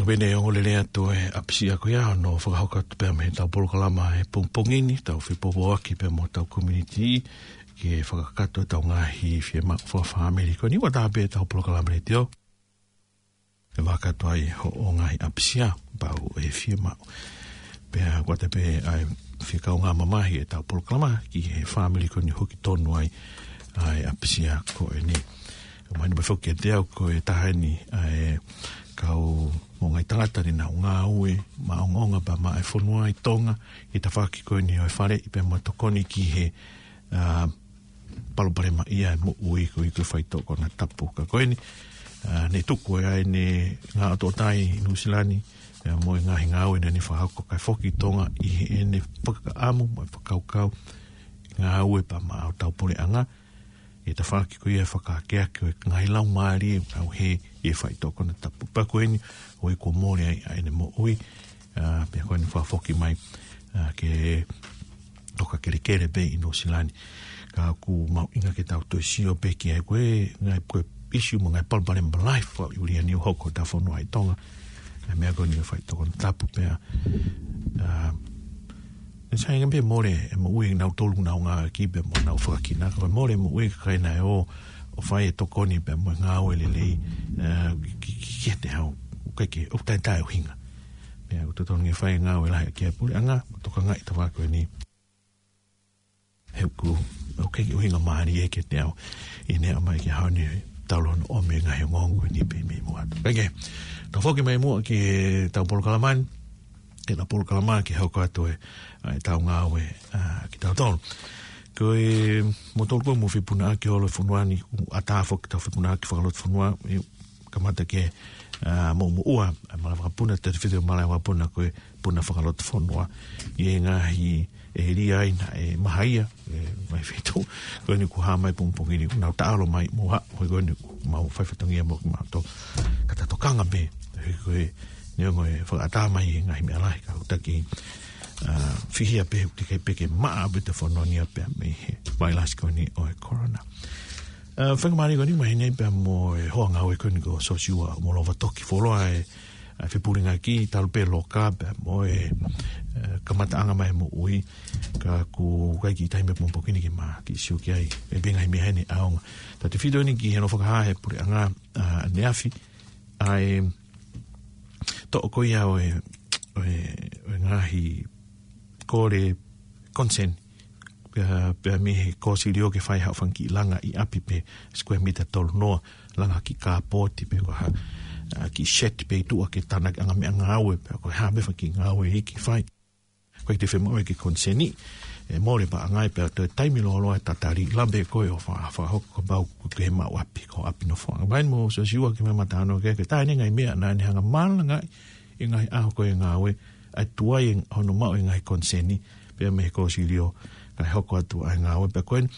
Pea ne ongo lelei atu e ʻapisia ko ia hono fakahoko atu pea mei heʻetau polokalama he pongipongi ni, tau fepopoaki pea mo hotau community, ke fakakakato ʻetau ngaahi fiemaʻu fakafāmili. Ko eni ʻoku ʻatā pē ʻetau polokalama letiō, ʻe fakakakato ai hoʻo ngaahi ʻapisia, pau ʻe fiemaʻu. Pea ko e ʻatā pē ʻa e fie kaungā mamahi ʻetau polokalama ki he fāmili ko eni ʻoku tonu ai ʻa e ʻapisia ko eni. Ka mahino pē foki kiate au ko e taha eni ʻa e kau mo e ngaahi tangata ne nau ngāue maʻongoʻonga pea maʻa e fonua ʻi Tonga, ʻi he tafaʻaki ko eni ʻo e faleʻi pea mo e tokoni ki he, ʻa, palopalema ia e moʻui ko ia ko e faitoʻo konatapu. Ka ko eni, ʻa, ne tuku ʻa ʻene ngaahi ʻotoʻota ʻi Nuʻusila ni, pea mo e ngaahi ngāue naʻa ne fakahoko kae foki ki Tonga ʻi heʻene fakaʻamu mo e fakakaukau ngāue pea maʻa hotau puleʻanga, ʻi he tafaʻaki ko ia e fakaakeake ʻo e ngaahi laumālie ʻoku nau hē ʻi he faitoʻo konatapu. Pea ko eni, ʻoku mole ai ʻa ʻene moʻui, ʻa, pea ko eni fakafoki mai, ʻa, ke toka kelekele pē ʻi Nuʻusila ni. Ka ʻoku mahuʻinga ke tau toe sio pē ki ai ko e ngaahi, ko e ʻisiū mo e ngaahi palopalema lahi fakaʻuliʻulia ni ʻoku hoko ʻi hotau fonua ʻi Tonga. ʻA e meʻa ko eni ʻo e faitoʻo konatapu pea, ʻa, ʻe sai ange pē mole e moʻui ʻa kinautolu naʻa nau ngāueʻaki pea mo ʻenau fakakinā. Ka ko e mole e moʻui ʻa e kakai naʻe ō ʻo fai e tokoni pea mo e ngāue lelei, ʻa, ki, ki, ki, kiate au. ʻOku ʻikai ke, ʻoku taʻetaʻeʻuhinga. Pea ʻoku totonu ke fai e ngāue lahi ʻaki ʻa e puleʻanga, tokangaʻi e tafaʻaki ko eni. He ʻoku, ʻoku ʻikai ke ʻuhinga mālie kiate au ʻene aʻu mai ki he ʻaho ni, talu hono ʻomi e ngaahi ongoongo ni pē mei muʻa atu. Pea ke, tau foki mai muʻa ki heʻetau polokalama ni, ke ta polokalama ke hoko atu e, ʻa, ʻetau ngāue, ʻa, kitautolu. Ko e, moutolu ko ē ʻoku mou fepunaʻaki holo e fonua ni, ʻoku ʻatā foki ʻetau fepunaʻaki fakalotofonua, ʻe kamata ke, ʻa, moʻumoʻua, ʻa e malaʻe vakapuna, te te fiti malaʻe vakapuna ko e puna fakalotofonua. ʻI he ngaahi ʻēlia ʻi he maha ia, ʻe, ngaahi feituʻu ko eni ʻoku hā mai pongipongi ni, ʻoku nau taʻalo mai mo ha, ko eni ʻoku mau fai fatongia mo kimautolu. Ka ta tokanga pē, he ko e, neongo e fakaʻatā mai e ngaahi meʻa lahi ka ʻoku taki, ʻa, fihia pē, ʻoku teʻeki ai pē ke maʻa pē ʻetau fonua ni ʻa pea mei he vailasi ko eni ʻo e corona. ʻA, faingamālie ko eni, mahino pea mo e hoa ngāue ko eni ko Sosiua Molova Toki, fuoloa e, ʻa, fepulingaki talu pē loka pea mo e, ʻa, kamataʻanga mai moʻui, ka ʻoku ʻikai ke ʻi ai ha taimi pongipongi ni ke ma kiʻi sio ki ai, ʻe pē ngaahi meʻa heni ʻaonga. Ta te fito eni ki hono fakahā ʻe he puleʻanga, ʻa, ʻaneafi, ʻa e toʻo ko ia ʻo e, ʻo e, ʻo e ngaahi kole koniseni, pea, pea mei he kōsilio ke fai haʻo fanga kiʻi langa ʻi ʻapi pē, square mita tolu noa, langa kiʻi kāpoti pē ko ha, ʻa, kiʻi shed pē ʻi tuʻa ke tānaki ʻa e ngaahi meʻangāue, pea ko e hā pē fanga kiʻi ngāue ʻe ʻikai ke fai. ʻOku ʻikai te fiemaʻu ia ke koniseni, ʻe mole paʻanga ia pea toe taimi lōloa e tatali, lava pē koe ʻo fa-, fakahoko kapau ʻoku ke maʻu ʻapi, ko e ʻapi nofoʻanga. Vakai mo Sosiua ki he meʻa naʻa ne talanoa ki ai, ko e taha eni e ngaahi meʻa naʻa ne hanga ʻo malanga ai ʻi he ngaahi ʻaho ko ē e ngāue, ʻa e tuai hono maʻu e ngaahi koniseni pea mei he kōsilio kae hoko atu ʻa e ngāue. Pea ko eni,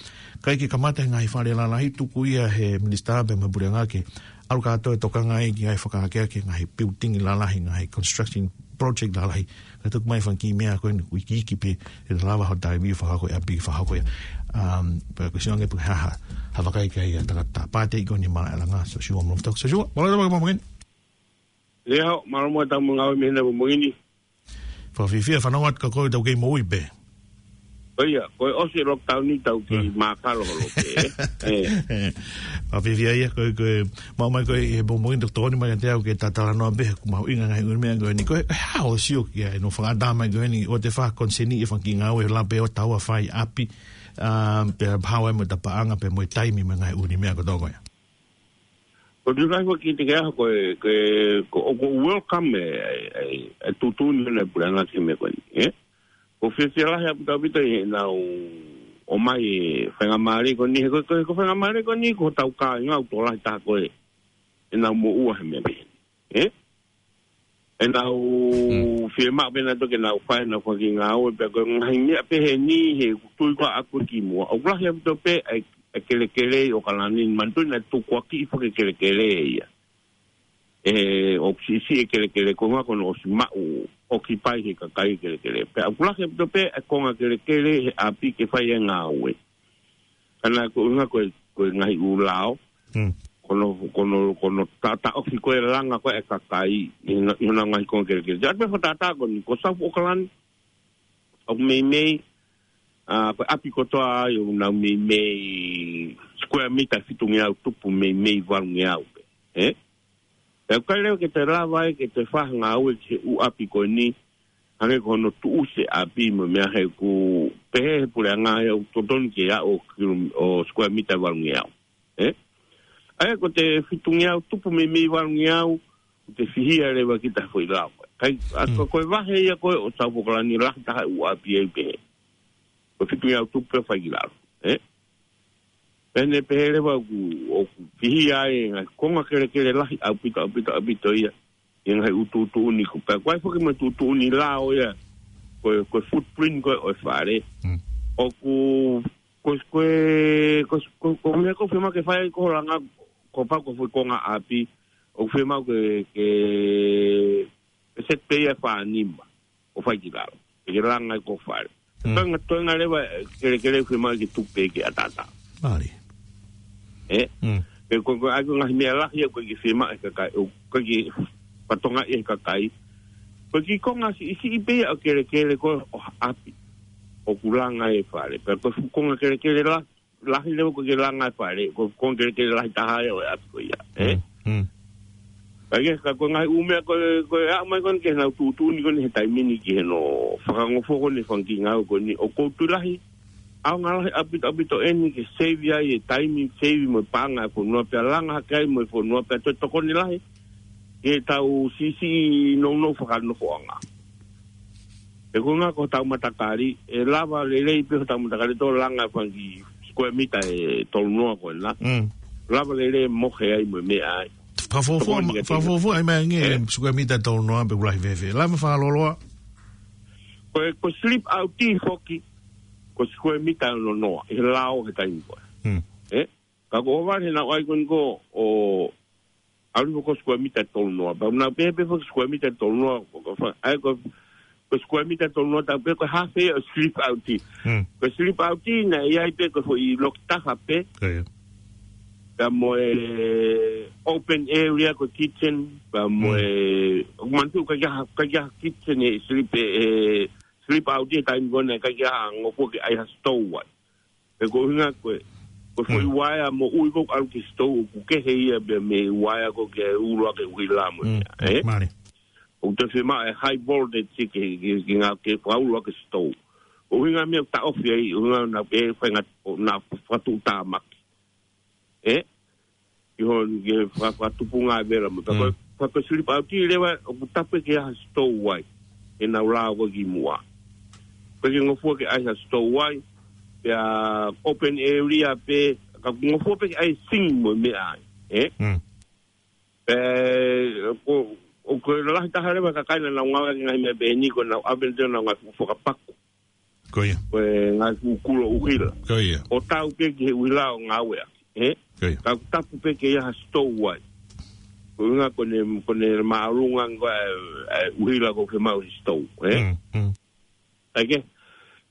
ʻikai ke kamata e ngaahi fale lalahi, tuku ia ʻe he minisitā pea mo e puleʻanga ke ʻalu kātoa ʻo tokanga ai ki he ngaahi fakaakeake, ngaahi building lalahi, ngaahi construction project lalahi. Ka tuku mai fanga kiʻi meʻa ko eni ʻoku ikiiki pē, ʻe lava hoʻo taimi ʻo fakahoko e ʻapi, fakahoko ia. Um, pea ko e sio ange pe ko e hā ha, ha vakai ki ai ʻa e tangata pātē ko eni malaʻe langa, Sosiua Molova Toki. Sosiua, mālō e tau mamahi. Leo, mālō mo e tau ngāue mei heni pongipongi ni. Fakafiefia, fanongo atu ka ko e tau kei moʻui pē. ʻIo, ko e ʻosi e lockdown ni tau kei mākalo holo pē, ē. Ē. Fakafiefia ia, ko e, ko e, maʻu mai ko ē he pongipongi ni, tokoni mai kiate au ke ta talanoa pē, ʻoku mahuʻinga e ngaahi ʻū meʻa ko eni, ko e, ʻe hā hoʻo sio ki ai, hono fakaʻatā mai ko eni, ʻoku te fai koniseni e fanga kiʻi ngāue, lava pē ʻo tau ʻo fai ʻapi, ʻa, pea hao ai mo e tapaʻanga, pea mo e taimi mo e ngaahi ʻū meʻa kotoa ko ia. Ko e tuʻu lahi ko ē ki he ʻaho ko ē, ko e, ko, ʻoku ou welcome e, e, e, e tuʻutuʻuni ʻa e puleʻanga ki he meʻa ko eni, ē? ʻOku fiefia lahi ʻaupito ʻaupito ʻi heʻenau ʻomai e faingamālie ko eni, he ko e, ko e, ko e faingamālie ko eni ko hotau kāinga ʻoku tokolahi taha ko ē ʻenau moʻua he meʻa pehē ni, ē? ʻEnau, hmm, fiemaʻu pē nautolu ke nau fai ʻenau fanga kiʻi ngāue, pea ko e ngaahi meʻa pehē ni he ʻoku tui ko ē ʻaʻaku ki muʻa. ʻOku lahi ʻaupito pē ʻa e, ʻa e kelekele ʻi ʻOkalani ni, manatuʻi naʻe tukuakiʻi foki e kelekele ia. ʻE, ʻoku siʻisiʻi e kelekele ko e ʻuhinga ko hono ʻosi maʻu, occupy ʻe he kakai e kelekele. Pea ʻoku lahi ʻaupito pē ʻa e konga kelekele he ʻapi ke fai e ngāue. Ka naʻe ko e ʻuhinga ko e, ko e ngaahi ʻū lao. Hmm. ko hono, ko hono, ko hono taʻataʻofi ko e langa ko e kakai, ʻi hono, ʻi honau ngaahi konga kelekele. Te atu pē fakatātā ko eni, ko South Auckland, ʻoku meimei, ʻa, ko e ʻapi kotoa ia ʻoku nau meimei square mita fitungeau tupu meimei valungeau pē. Ē? Pea ʻoku ʻikai leva ke te lava ai ke te fai ha ngāue ki he ʻū ʻapi ko eni, hangē ko hono tuʻusi e ʻapi mo e meʻa he ʻoku pehē he puleʻanga ia ʻoku totonu ke aʻu ʻo kilo, ʻo square mita valungeau. Ē? ʻA ia ko e fitungeau tupu meimei valungeau, ʻoku te fihia leva kita he foʻi lao. Kae, ʻa, ko, ko e vahe ia ko ē ʻo South Auckland lahi taha ʻū ʻapi ai pehē. Ko e fitungeau tupu pē fai ki lalo. Ē? Pea ne pehē leva ʻoku, ʻoku fihia ai e ngaahi konga kelekele lahi ʻaupito, ʻaupito, ʻaupito ia. ʻI he ngaahi ʻū tuʻutuʻuni ko ē. Pea ko e foki mo e tuʻutuʻuni lao ia. Ko e, ko e footprint ko ē ʻo e fale. Mm. ʻOku, ko, ko e, ko, ko, ko e meʻa ʻoku fiemaʻu ke fai ko e langa, ko e pau ko e foʻi konga ʻapi. ʻOku fiemaʻu ke, ke, ke set pē ia ʻe fā nima. ʻO fai ki lalo. ʻE ke langa ai ko e fale. Mm. Toenga, toenga leva, ē, kelekele fiemaʻu ke tuku pē ke ʻataʻatā. Mālie. Ē? Mm. Pea ko, ko e ʻai ko e ngaahi meʻa lahi ia ʻoku ʻikai ke fiemaʻu ʻe he kakai, ʻoku ʻikai ke fatongia ʻe he kakai. Ko e kiʻi konga siʻisiʻi pē ia ʻo e kelekele ko ē ʻo ha ʻapi. ʻOku langa ai e fale. Pea ko e fuʻu konga kelekele la, lahi leva ʻoku ʻikai ke langa ai e fale, ko e konga kelekele lahi taha ia ʻo e ʻapi ko ia, ē? Mm, mm. Ka ʻi he, ka ko e ngaahi ʻū meʻa ko ē, ko e aʻu mai ko eni ki heʻenau tuʻutuʻuni ko eni he taimi ni ki hono fakangofua ko eni e fanga kiʻi ngāue ko eni ʻoku ou tui lahi. ʻAonga lahi ʻaupito, ʻaupito eni ke save ai e taimi, save mo e paʻanga e fonua pea langa hake ai mo e fonua pea toe tokoni lahi. Ke tau siʻisiʻi nounou fakanofoʻanga. He ko e ʻuhinga ko hotau matakali, ʻe lava lelei pē hotau matakali ʻo langa e fanga kiʻi square mita ʻe tolu noa ko ena. Mm. Lava lelei mohe ai mo e meʻa ai. Fakafuofua, tokoni ia ke fakafuofua ʻai mai ange e square mita ʻe tolu noa pe ʻoku lahi fēfē. Lava fakaloloa. Ko e, ko e slip out foki, ko e square mita ʻe ono noa, ʻi he lao he taimi ko ē. Mm. Ē? Ka ko e ʻohovale heʻenau ʻai ko eni ko ē ʻo ʻalu ko e square mita ʻe tolu noa. Pea ʻoku nau pehē pē foki square mita ʻe tolu noa, ko, ko, fa-, ʻa ia ko, ko e square mita ʻe tolu noa, tau pehē ko e half ia ʻo e slip out. Mm. Ko e slip out naʻe ʻi ai pē ko e foʻi loki taha pē. Ko ia. Pea mo e open area ko e kitchen, pea mo e, mm, manatu ʻikai ke ʻi ai ha, ʻikai ke ʻi ai ha kitchen ʻe slip, ʻe, ʻe slip out he taimi ko ē naʻe ʻikai ke ʻi ai ha ngofua ke ʻai ha stove ai. Pea ko e ʻuhinga ko e, ko e foʻi, mm, uaea moʻui ko ē ʻoku ʻalu ki he stove ʻoku kehe ia pea mei he uaea ko ē ke ulo ʻaki e ʻuhila mo e, mm, meʻa, ē? Mālie. ʻOku te fiemaʻu e high voltage ke, ke, ke ngāue ke fakaulo ʻaki e stove. Ko e ʻuhinga e meʻa ʻoku taʻofi ai, ʻuhinga naʻa pē fainga, ʻo naʻa fakatuʻutāmaki. Ē? ʻI hono ke fa-, fakatupunga e vela mo. Pea ko e, mm, pea ko e slip out leva ʻoku tapu ke ʻi ai ha stove ai. ʻEnau lao ko ē kimuʻa. ʻIkai ke ngofua ke ʻai ha stove ai. Pea open area pē, ka ʻoku ngofua pē ke ʻai e sink mo e meʻa ai. Ē? Mm. Pea ko, ʻoku lahi taha leva e kakai naʻa nau ngāueʻaki e ngaahi meʻa pehē ni ko ʻenau oven, ʻenau ngaahi fuʻu fakapaku. Ko ia. Ko e ngaahi fuʻu kulo ʻuhila. Ko ia. ʻO tau pē ki he ʻuhila ʻo ngāueʻaki, ē? Ko ia. Ka ʻoku tapu pē ke ʻi ai ha stove ai. Ko e ʻuhinga ko ʻene, ko ʻene māʻolunga ko ē, ē, ʻuhila ʻoku fiemaʻu he stove, ē? Mm, mm. ʻA ia ke,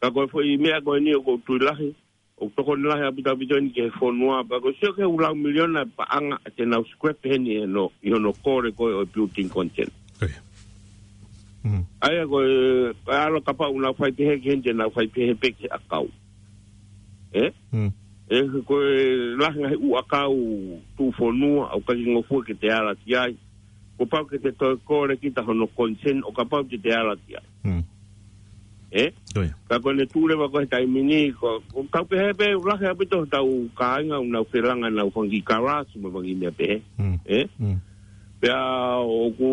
ka ko e foʻi meʻa ko eni ʻoku ou tui lahi, ʻoku tokoni lahi ʻaupito, ʻaupito eni ki he fonua, pea ʻoku ou sio ki he ʻū lau miliona e paʻanga te nau scrap heni ʻi hono, ʻi hono kole ko ē ʻo e building consent. Ko ia. Mm. ʻA ia ko e, ko e ʻalu kapau ʻoku nau fai pehē ki heni te nau fai pehē pē ki he ʻakau. Ē? Mm. Ē, ko e lahi ngaahi ʻū ʻakau tuʻufonua, ʻoku ʻikai ke ngofua ke te ala ki ai. Kuo pau ke te toe kole kita hono consent, ʻo kapau te te ala ki ai. Mm. Ē? Ko ia. Ka ko ʻene tuʻu leva ko ē he taimi ni, ko, ʻoku tau pehē pē, lahi ʻaupito hotau kāinga ʻoku nau felanga ʻenau fanga kiʻi kalasi mo e fanga kiʻi meʻa pehē. Mm. Ē? Mm. Pea ʻoku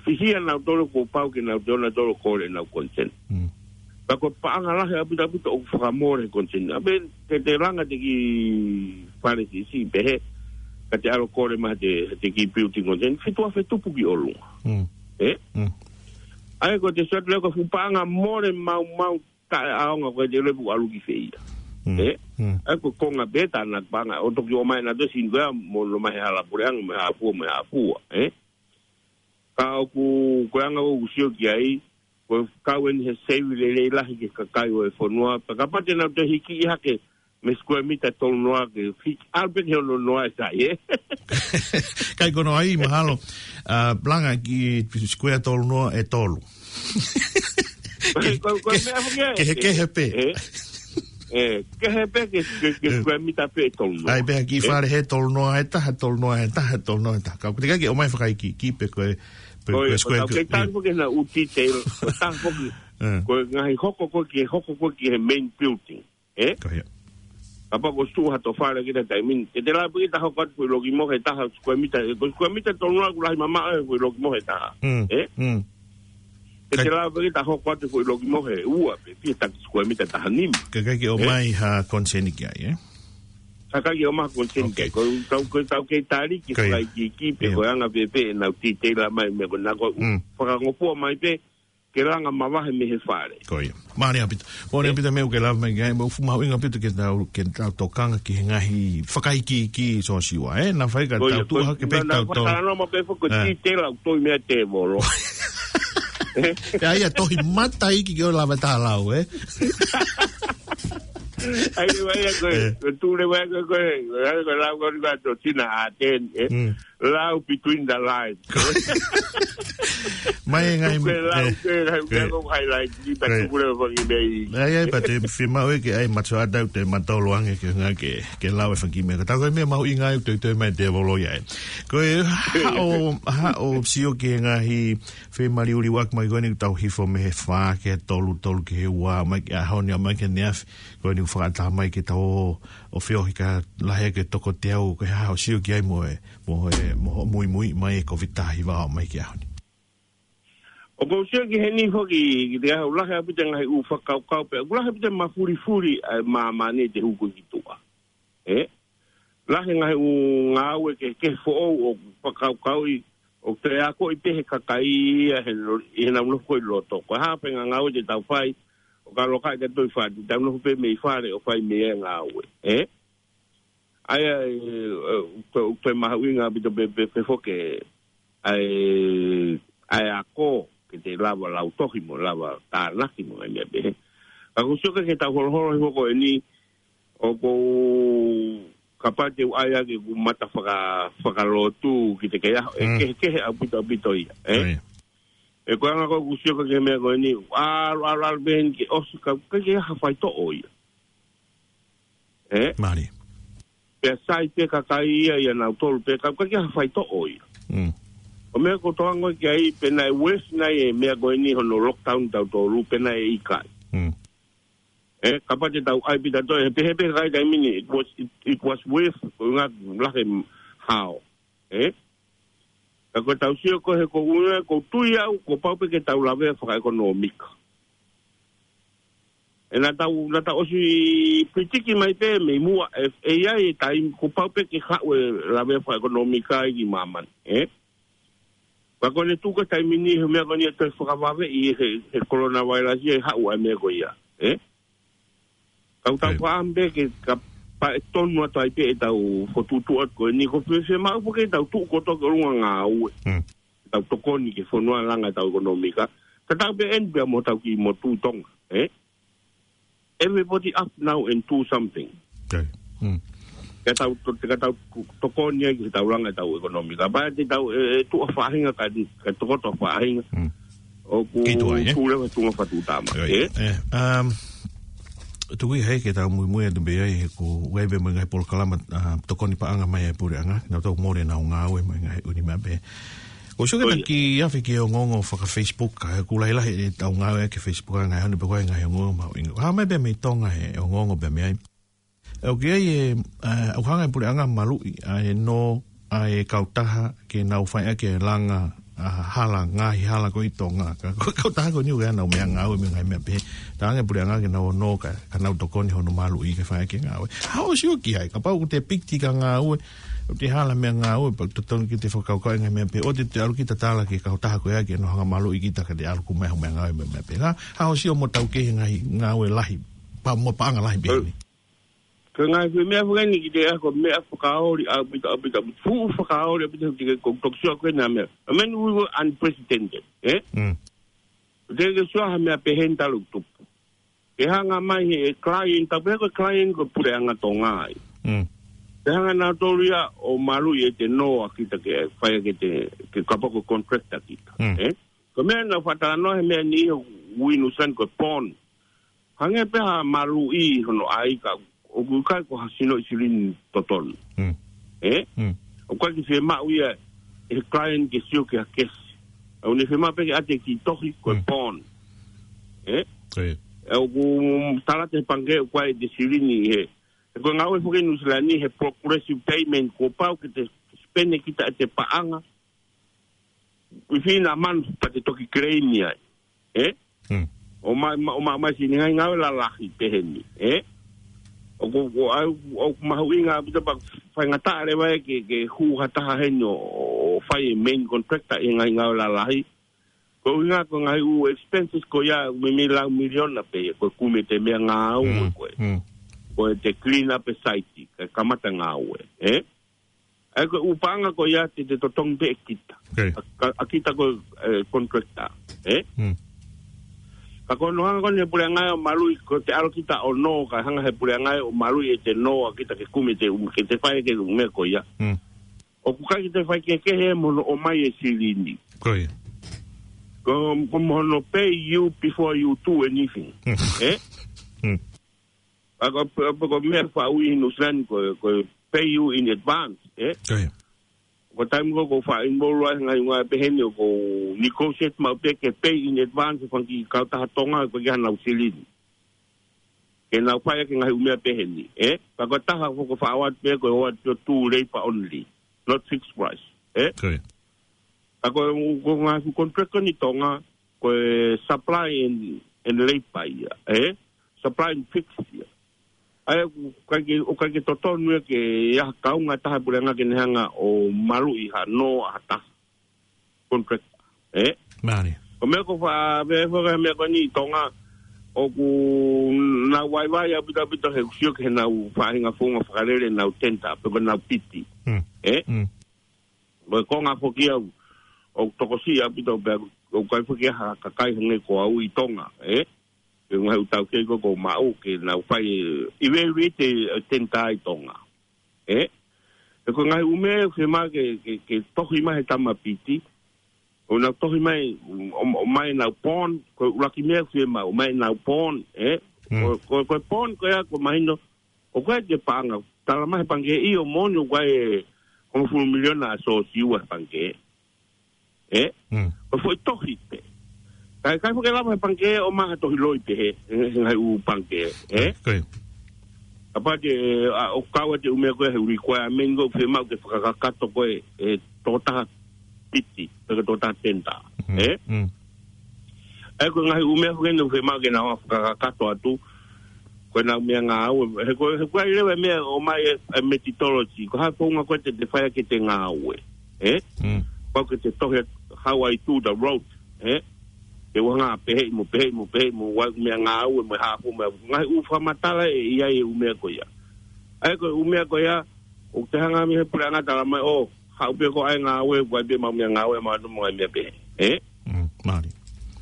fihia nautolu kuo pau ke nau toe ō nautolu ʻo kole ʻenau consent. Mm. Ka ko e paʻanga lahi ʻaupito, ʻaupito ʻoku fakamole he consent. ʻA pē te te langa e kiʻi fale siʻisiʻi pehē, ka te ʻalu ʻo kole mai he te, he te kiʻi building consent, fitu afe tupu ki ʻolunga. Mm. Ē? Mm. ʻA ia ko e te sio atu leva ko e fuʻu paʻanga mole maumau taʻeʻaonga ko ē te lepu ʻalu ki fē ia. Mm. Ē? Mm. ʻA ia ko e konga pē ʻena paʻanga, ʻo toki ō mai nautolu ʻo sini ko ia mo ō mai he hala puleʻanga, mo e hā fua, mo e hā fua, ē? Ka ʻoku, ko e anga ʻoku ou sio ki ai, ko e kau eni he save lelei lahi ki he kakai ʻo e fonua, pea kapau te nau toe hiki hake, mei he square mita tolu noa ke fiki, ʻalu pē ki he ono noa ʻe sai, ē? Kai kono ai, mahalo, ʻa, langa ki square tolu noa ʻe tolu. Ko, ko, ko e meʻa foki ē, kehe, kehe pē. Ē? Ē, kehe pē ke, ke, ke square mita pē ʻe tolu noa. ʻAi pē ha kiʻi fale he tolu noa ʻe taha, tolu noa ʻe taha, tolu noa ʻe taha. Ka ʻoku teʻeki ke ʻomai fakaikiiki pē ko e, pē ko e, ko e ko e square tau kei tali foki he naʻa ʻū detail, ko e taha foki, ko e ngaahi hoko ko ē ki he, hoko ko ē ki he main building. Ē? Ko ia. Kapau ko e suʻa ha tō fale ki he taimi ni. Ke te lava pē ke ta hoko atu foʻi loki mohe ʻe taha square mita. Ko e square mita tolu noa ʻoku lahi mamaʻo e foʻi loki mohe ʻe taha. Mm. Ē? Mm. Ke te lava pē ke ta hoko atu foʻi loki mohe ʻe ua pē, pea taki square mita ʻe taha nima. Kae ʻikai ke ʻomai ha consent ki ai, ē? Kae ʻikai ke ʻomai ha consent ki ai. Ko e tau, ko e tau kei tali ke fakaikiiki pē ko e anga pē pē ʻenau detail mai meʻa ko ena ko e fakangofua mai pē ke langa mavahe mei he fale. Ko ia. Mālie ʻaupito. Mālie ʻaupito meʻa ʻoku ke lave mai ki ai, mo fuʻu mahuʻinga ʻaupito ke tau, ke tau tokanga ki he ngaahi fakaikiiki Sosiua, ē? Naʻa faʻa ka tau tuʻu hake pē tau tau. Fakalanoa mai pē foki ko e detail ʻoku tohi meia tēvolo. Pea ʻai ʻa e tohi mataʻi ke ʻoua lava ʻe taha lau, ē? ʻAi, ʻai, ʻai, ko e, ko e tule, ʻai, ko e, ko e, ko e lau ko eni ko e tō Tina ʻa ten, ē? Lau between the lines. Mai e ngaahi, ko e lau, ē, ko e lau, ko e highlight, ni ta tuku leva ki mei. ʻAi, ʻai, pea te fiemaʻu ke ʻai matua ʻatau te matolo ange ke nga ke, ke lau e fanga kiʻi meʻa. Ka tau ko e meʻa mahuʻinga ʻoku toitoi mai tēvolo ia ē. Ko e haʻo, haʻo sio ki he ngaahi femaliuliuaki mai ko eni ʻoku tau hifo mei he fā ki he tolu, tolu ki he ua, mai ki he ʻaho ni, mai ki he efiafi. Ko eni ʻoku fakataha mai ke tau ō ʻo feohi ka lahi ke toko teau, ko e hā hoʻo sio ki ai mo e, mo e, mo hoʻo muimui mai e Covid taha hiva ʻo mai ki he ʻaho ni. ʻOku ou sio ki heni foki, ki he ʻaho lahi ʻaupito ngaahi ʻū fakakaukau pē, ʻoku lahi ʻaupito mafulifuli ʻa e māmani te hū ko ē ki tuʻa. Ē? Lahi ngaahi ʻū ngāue kehekehe foʻou ʻoku fakakaukauʻi, ʻoku toe akoʻi pē he kakai ia he lo-, ʻi heʻenau nofo ko ē ʻi loto. Ko e hā pē ngaahi ngāue te tau fai, ʻo ka loka ʻi ka toi fati, tau nofo pē mei fale ʻo fai mei ai e ngāue. Ē? ʻAi, ʻai, ē, ʻoku toe, ʻoku toe mahuʻinga ʻaupito pē, pē, pē foki, ʻai, ʻai ako, ke te lava lau tohi mo lava tānaki mo ngaahi meʻa pehē. Ka ʻoku ou sio ki he tau holoholo hifo ko eni, ʻoku ou kapau te u ʻai ʻaki ʻeku mata faka-, fakalotu ki he kei ʻaho, ʻe kehekehe ʻaupito ʻaupito ia, ē? ʻAi. ʻE ko e anga ko ē ʻoku ou sio ki he meʻa ko eni, ʻalu, ʻalu, ʻalu pē eni ke ʻosi ka, ka ʻikai ke ʻi ai ha faitoʻo ia. Ē? Mālie. Pea sai pē kakai ia, ia nautolu pē ka, ka ʻikai ke ʻi ai ha faitoʻo ia. Mm. ʻO meʻa ʻoku ou tokangaʻi ki ai, pe naʻe worse nai e meʻa ko eni hono lockdown tautolu, pe naʻe ʻikai. Mm. Ē, kapau te tau ʻai pē tautolu, he pehē pē kakai taimi ni, it was, it, it was worth, ko e ngaahi lahi hao. Ē? Ka ko e tau sio ko ē he ko e ʻuhinga, ʻoku ou tui au, kuo pau pē ke tau lavea fakaʻekonōmika. ʻE naʻa tau, naʻa tau ʻosi pitiki mai pē mei muʻa, ʻe, ʻe ʻi ai e taimi, kuo pau pē ke haʻu e lavea fakaʻekonōmika ʻi māmani, ē? Ka ko ʻene tuʻu ko ē taimi ni he meʻa ko eni ʻe toe fakavave ʻi he, he coronavirus ia ʻe haʻu ai meʻa ko ia, ē? Ka ʻoku tau faʻa pē ke ka pae tonu atu ai pē ʻetau fokotuʻutuʻu atu ko eni ko fē, fē maʻu pē ke tau tuʻu kotoa ki ʻolunga ngāue. Mm. Tau tokoni ki he fonua langa ʻetau ʻekonōmika. Ka tau pē eni pē mo tau kiʻi motu Tonga, ē? Everybody up now and do something. Okay. Mm. Ka tau to-, ka tau ku-, tokoni ai ki he tau langa ʻetau ʻekonōmika. Pea te tau, ē, ē, tuʻa faʻahinga ka, ka tokoto faʻahinga. Mm. ʻOku kei tuʻa, ē? Tuʻu leva tuʻunga fatu tama. Oi. Ē? Ē, um, tuku ia he ke tau muimui atu pē ai he ko e ʻai pē mo e ngaahi polokalama, uh, tokoni paʻanga mai e puleʻanga. Nau tau mole nau ngāue mo e ngaahi ʻū meʻa pē. ʻOku ou sio ke taki afe ki he ongoongo faka-Facebook, ka ʻoku lahilahi ʻetau ngāue ki he Facebook ʻa e ngaahi ʻaho ni pē ko e ngaahi ongoongo mahuʻinga. Hā mai pē mei Tonga he ongoongo pē mei ai. ʻOku ʻi ai e, ē, ʻoku hanga e puleʻanga maluʻi ʻa e nō ʻa e kautaha ke nau fai ʻaki e langa, ā, hala, ngaahi hala ko ē ʻi Tonga. Ka ko e kautaha ko eni ʻoku ʻi ai ʻenau meʻangāue mo e ngaahi meʻa pehē. Talaange e puleʻanga ke nau ō nō ka, ka nau tokoni hono maluʻi ke fai ʻaki e ngāue. Haʻo sio ki ai, kapau ʻoku te piki ki ha ngāue, ʻoku te hala meʻangāue, pea totonu ke te fakakaukau e ngaahi meʻa pehē, ʻoua te te ʻalu kita ʻo tala ki he kautaha ko ia ke nau hanga maluʻi kita ka te ʻalu ʻo ʻomai hoʻo meʻangāue mo e meʻa pehē. Haʻo sio mo tau ki he ngaahi ngāue lahi, pa-, mo paʻanga lahi pehē ni. Ko e ngaahi foʻi meʻa fakaeni ki te ako meʻa fakaoli ʻaupito, ʻaupito, ʻaupito. Fuʻu fakaoli ʻaupito ki he ko e toki sio ko ena meʻa. I mean, we were unprecedented, ē? Mm. Te ke sio ha meʻa pehē ni talu tupu. Ke hanga mai he client, tau pehē ko e client ko e puleʻanga Tonga ia. Mm. Ke hanga nautolu ia ʻo maluʻi ʻete nō ʻa kita ke fai ke te, ke kapau ko e contractor kita. Mm. Eh? Ko e meʻa naʻa ku faʻa talanoa he meʻa ni ʻi Nuʻu Sila ni ko e bond. Hangē pē ha maluʻi hono ʻai ka ʻoku ʻikai ko ha sinoʻi silini totonu. Mm. Eh? Mm. ʻOku ʻikai ke fiemaʻu ia ʻe he client ke sio ki ha kesi. ʻOku ne fiemaʻu pē ke ʻoatu e kiʻi tohi ko e Mm. bond. Eh? Ko ia. ʻOku tala atu ʻe he pangikē ʻoku ʻi ai ʻete silini he. He ko e ngāue foki ʻi Nuʻu Sila ni he progressive payment kuo pau ke te spend kita ʻete paʻanga. Within a month pea te toki claim ai. Eh? Mm. ʻOmai, ma-, ʻomai mai silini he ngaahi ngāue lalahi pehē ni. Eh? ʻOku, ʻoku, ʻoku mahuʻinga ʻaupito pea faingataʻa leva ia ke, ke hū ha taha heni ʻo, ʻo fai e main contractor ʻi he ngaahi ngāue lalahi. Ko e ʻuhinga ko e ngaahi ʻū expenses ko ia ʻoku meimei lau miliona pē ia, ko e kumi ʻete meʻangāue Mm, ko ē. mm. Ko ʻete clean up e site, kae kamata ngāue, eh? ʻA ia ko e ʻū paʻanga ko ia te te totongi pē ʻe kita. Okay. ʻA, ʻa, ʻa kita ko e, eh, contractor, eh? Mm. Ka ko hono hanga ko eni he puleʻanga ia ʻo maluʻi, ko ʻete ʻalu kita ʻo nō, kae hanga he puleʻanga ia ʻo maluʻi ʻete nō ʻa kita ke kumi ʻete, um, ke te fai ke ʻū meʻa ko ia. Mm. ʻOku ʻikai ke te fai kehekehe mo hono ʻomai e silini. Ko ia. Ko, ko mo hono pay you before you do anything. Mm. Eh? Mm. ʻA ko, ko, ko e meʻa faʻa ui ʻi Nuʻu Sila ni ko, ko e pay you in advance, eh? Ko ia. Ko e taimi ko ē ʻoku ou faʻa involve ai he ngaahi ngāue pehē ni ʻoku ou negotiate maʻu pē ke pay in advance e fanga kiʻi kautaha Tonga ko ē ki heʻenau silini. Ke nau fai ʻaki e ngaahi ʻū meʻa pehē ni, eh? Ka ko e taha foki ʻoku ou faʻa ʻoatu pē ko e ʻoatu pē ʻo tū labour only, not fixed price, eh? Ko ia. Ka ko e, ko e ngaahi fuʻu contract ko eni ʻi Tonga, ko e supply and, and labour ia, eh? Supply and fixed ia. ʻA ia ʻoku ʻikai ke, ʻoku ʻikai ke totonu ia ke ʻi ai ha kaunga ʻe taha puleʻanga ke ne hanga ʻo maluʻi ha nō ʻa ha taha contract, eh? Mālie. Ko e meʻa ʻoku ou faʻa, meʻa ʻoku ou faʻa meʻa ko eni ʻi Tonga, ʻoku nau vaivai ʻaupito ʻaupito he ʻoku sio ki heʻenau faʻahinga founga fakalele ʻenau tender, pe ko ʻenau piti. Mm. Eh? Mm. Ko e konga foki ia ʻoku tokosiʻi ʻaupito pea ʻoku ʻikai foki ha kakai hangē ko au ʻi Tonga, eh? Pe ngaahi ʻū taukei ko ē ʻoku ou maʻu ke nau fai e evaluate e tender ʻi Tonga. Eh? He ko e ngaahi ʻū meʻa ʻoku fiemaʻu ke, ke, ke tohi mai he tama piti. ʻO nau tohi mai, ʻo, ʻo, ʻomai ʻenau bond, ko e ʻuluaki meʻa ʻoku fiemaʻu, ʻomai ʻenau bond, eh? Mm. Ko, ko, ko e bond ko ia ʻoku mahino, ʻoku ʻikai ke paʻanga, tala mai he pangikē ʻio moʻoni ʻoku ʻi ai e hongofulu miliona ʻa Siosiua he pangikē. Eh? Mm. Ko e foʻi tohi pē. Kae, kae ʻikai foki lava he pangikē ʻo ʻomai ha tohi loi pehē, he, he ngaahi ʻū pangikē, eh? Ko ia. Kapau te, ʻa, ʻoku kau ʻete ʻū meʻa ko ē he requirement ko ē ʻoku fiemaʻu ke fakakakato ko ē, e tokotaha piti, pe ko e tokotaha tender, Mm. eh? Mm. ʻA ia ko e ngaahi ʻū meʻa foki eni ʻoku fiemaʻu ke nau fakakakato atu, ko ʻenau meʻangāue, he ko, he ko e leva e meʻa ʻomai e, e methodology, ko e hā e founga ko ē te te fai ʻaki ʻete ngāue, eh? Mm. Pau ke te tohi atu how I do the road, eh? Ke ʻoua naʻa pehē mo pehē mo pehē mo ʻai e meʻangāue mo e hā fua mo e ngaahi ʻū fakamatala ʻe ʻi ai e ʻū meʻa ko ia. ʻA ia ko e ʻū meʻa ko ia, ʻoku te hanga mei he puleʻanga tala mai, ʻo, haʻu pē ko ē ngāue, ʻoku ʻi ai pē ʻemau meʻangāue, ʻemau ʻū meʻa pehē. Eh? Mm, mālie.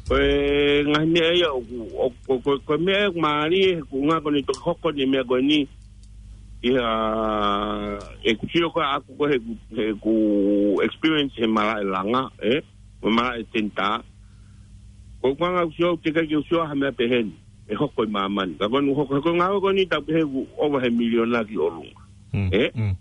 Ko e ngaahi meʻa ia, ʻoku, ʻoku, ko, ko, ko e meʻa ia ʻoku mālie, he ko e ʻuhinga ko eni toki hoko eni e meʻa ko eni, ʻi ha, ʻeku sio ko ē ʻaʻaku ko ē heʻeku, heʻeku experience he malaʻe langa, eh? Mo e malaʻe tender. Ko e ʻuhinga ʻoku ou sio, teʻeki ai ke u sio ha meʻa pehē ni ʻe hoko ʻi māmani. Ka ko eni ʻoku hoko, he ko e ngāue ko eni tau pehē ʻoku ʻova he miliona ki ʻolunga. Mm, Eh? mm.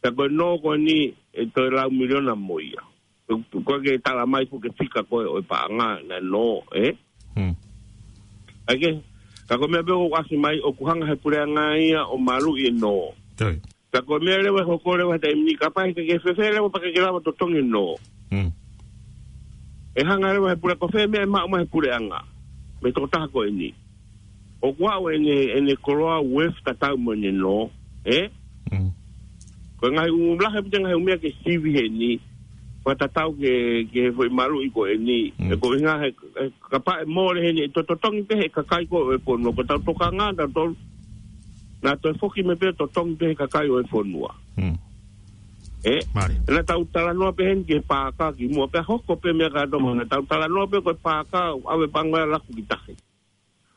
Ka ko e nō ko eni ʻe toe lau miliona mo ia. Ko, ko e ke tala mai foki e fika ko ē ʻo e paʻanga naʻe nō, eh? Hmm. ʻA ia ke, ka ko e meʻa pē ʻoku ʻasi mai ʻoku hanga he puleʻanga ia ʻo maluʻi e nō. Toi. Ka ko e meʻa leva ʻe hoko leva he taimi ni kapau he ʻikai ke fēfē leva pea ʻikai ke lava totongi e nō. Hmm. ʻE hanga leva he pule-, ko fē meʻa ʻe maʻu mai he puleʻanga mei he tokotaha ko eni. ʻOku ʻi ai ʻene, ʻene koloa worth tatau mo ʻene nō, eh? Mm. Ko e ngaahi ʻū lahi ʻaupito e ngaahi ʻū meʻa ke sivi heni, fakatatau ki he, ki he foʻi maluʻi ko eni. Mm. He ko e ʻuhinga he, he kapau ʻe mole heni ʻe tototongi pē he kakai ko ē ʻo e fonua, ko ʻetau tokanga ʻatautolu. Naʻa toe foki mai pē totongi pē he kakai ʻo e fonua. Mm. Eh? Mālie. Naʻa tau talanoa pē heni ki he paaka kimuʻa pea hoko pē meʻa kātoa mo naʻa tau talanoa pē ko e paaka ʻave pango e laku ki tahi.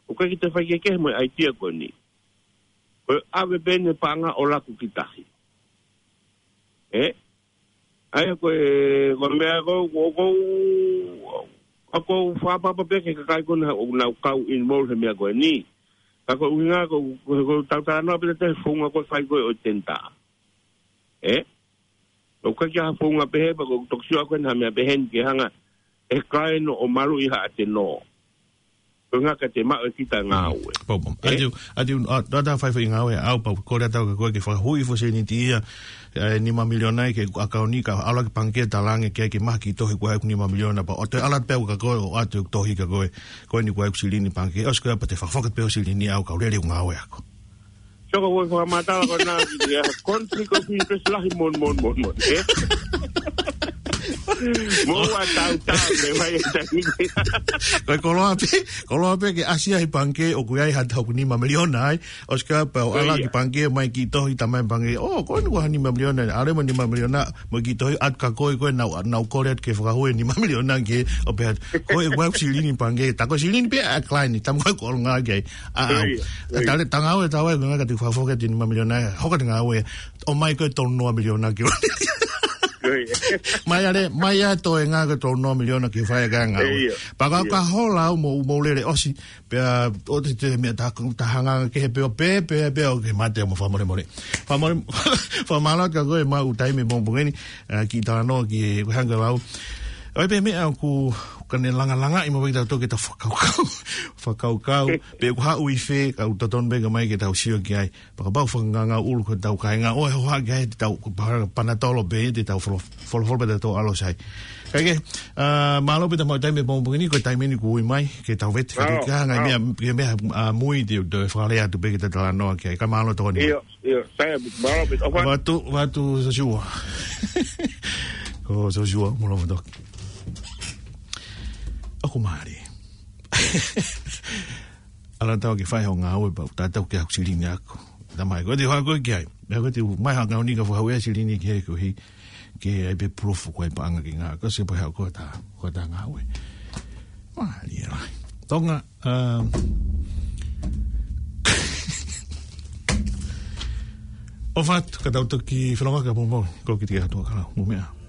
ʻOku ʻikai ke te faikehekehe mo e ʻaitia ko eni. Ko e ʻave pē ʻene paʻanga ʻo laku ki tahi. Ē? ʻA ia ko e, ko e meʻa ko, ko, ko, ʻoku ou fakaʻapaʻapa pē ki he kakai ko ena ʻoku nau kau involve he meʻa ko eni. Ka ko e ʻuhinga ko, ko, ko e tau talanoa pē te founga ko e fai ko ē ʻo e tender. Ē? ʻOku ʻikai ke ʻi ai ha founga pehē pea ko e toki sio ko ena ha meʻa pehē ni ke hanga ʻe he client ʻo maluʻi haʻate nō. Ko e ʻuhinga ka te maʻu ʻe kita ngāue. Pau, pau. Ē? ʻAtiu, ʻatiu, ʻa, ʻa, ʻa, fai fai ngāue, ʻa, pau, kole atu ka ko e ke fakahui foʻi sēniti ia, ʻe, nima miliona ia ki he ʻakauni ka ʻalu ki he pangikē ʻo talaange ke, ke maʻu e kiʻi tohi ko ē ʻoku nima miliona pea ʻoua toe ʻalu pē au ka ko e ʻoatu e tohi ka ko e, ko eni ko e ʻoku silini pangikē, ʻosi ko ia pea te fakafoki pē ʻo silini au ka u lele ʻeku ngāue ʻaku. Sio ko e fakamatala ko ena ki he conflict of interest lahi moʻoni, moʻoni, moʻoni, moʻoni, ē? Mo ua tau tau, ne mai e taimi. Ko e koloa pē, koloa pē ke ʻasi ai pangikē ʻoku ʻi ai ha taha ʻoku nima miliona ai, ʻosi ko ia pea u ʻalu ki he pangikē mai kiʻi tohi tamai pangikē, ʻō, ko eni ʻoku ʻi ai ha nima miliona, ʻalu mo e nima miliona, mo e kiʻi tohi atu ka ko e ko e nau, nau kole atu ke fakahui e nima miliona ki he ʻo pehē atu. Ko e ʻoku silini pangikē, tā ko e silini pē ʻa e client, tā mo e ko e ʻolunga ki ai. ʻA, ʻa, ʻa, tale, tā ngāue, tā ngāue, ngāue ka te fakafoki atu e nima miliona, hoko atu e ngāue, ʻomai ko e tolu noa miliona ki. Mai ale, mai atu e ngāue ko e tolu noa miliona ke fai e ngāue. Pea ka, ka hola au mo, mo lele ʻosi, pea ʻoua te te meʻa tā, tā hanga kehe pē ʻo pē, pē, pē, ʻoku ke mate mo fakamolemole. Fakamole, fakamālō atu ka ko e maʻu taimi mo pongeni, ʻa, kiʻi talanoa ki he, ko e hanga lau. ʻOi pē meʻa ʻoku, ka ne langalangaʻi mo pē tau toki tau fakakaukau, fakakaukau, pē ʻoku haʻu ʻi fē, ka ʻoku totonu pē ka mai ke tau sio ki ai. Pea kapau ʻoku fakanganga ʻulu ko tau kāinga ʻo e hoha ki ai te tau, ko pa-, panatolo pē te tau folo-, folofola pē te tau ʻalu sai. Kae kehe, ʻa, mālō pē tau maʻu taimi mo pongeni, ko e taimi ni kuo ui mai, ke tau vete, ka te ka ngai meʻa, ke meʻa, ʻa, mui te, te fakalea atu pē ke te talanoa ki ai. Ka mālō tokoni. ʻIo, ʻio, sai, mālō pē. Vatu, vatu Sosiua. Ko Sosiua, mulo motoki. ʻOku mālie. ʻAlu atu ke fai hoʻo ngāue pea u tatau ke haʻaku silini ʻaku. Tamai, ko e te hoa ko e ki ai. Meʻa ko e te u mai ha ngāue ni ka fakahui e silini ki he koeʻuhi ke ʻai pē pulufu ko e paʻanga ki ngā. Ko se pē haʻu ko tā, ko tā ngāue. Mālie lahi. Tonga, um, ʻofa atu, ka tau toki felonga ka momo, ko ki te ke hatua ka lau, mo meʻa.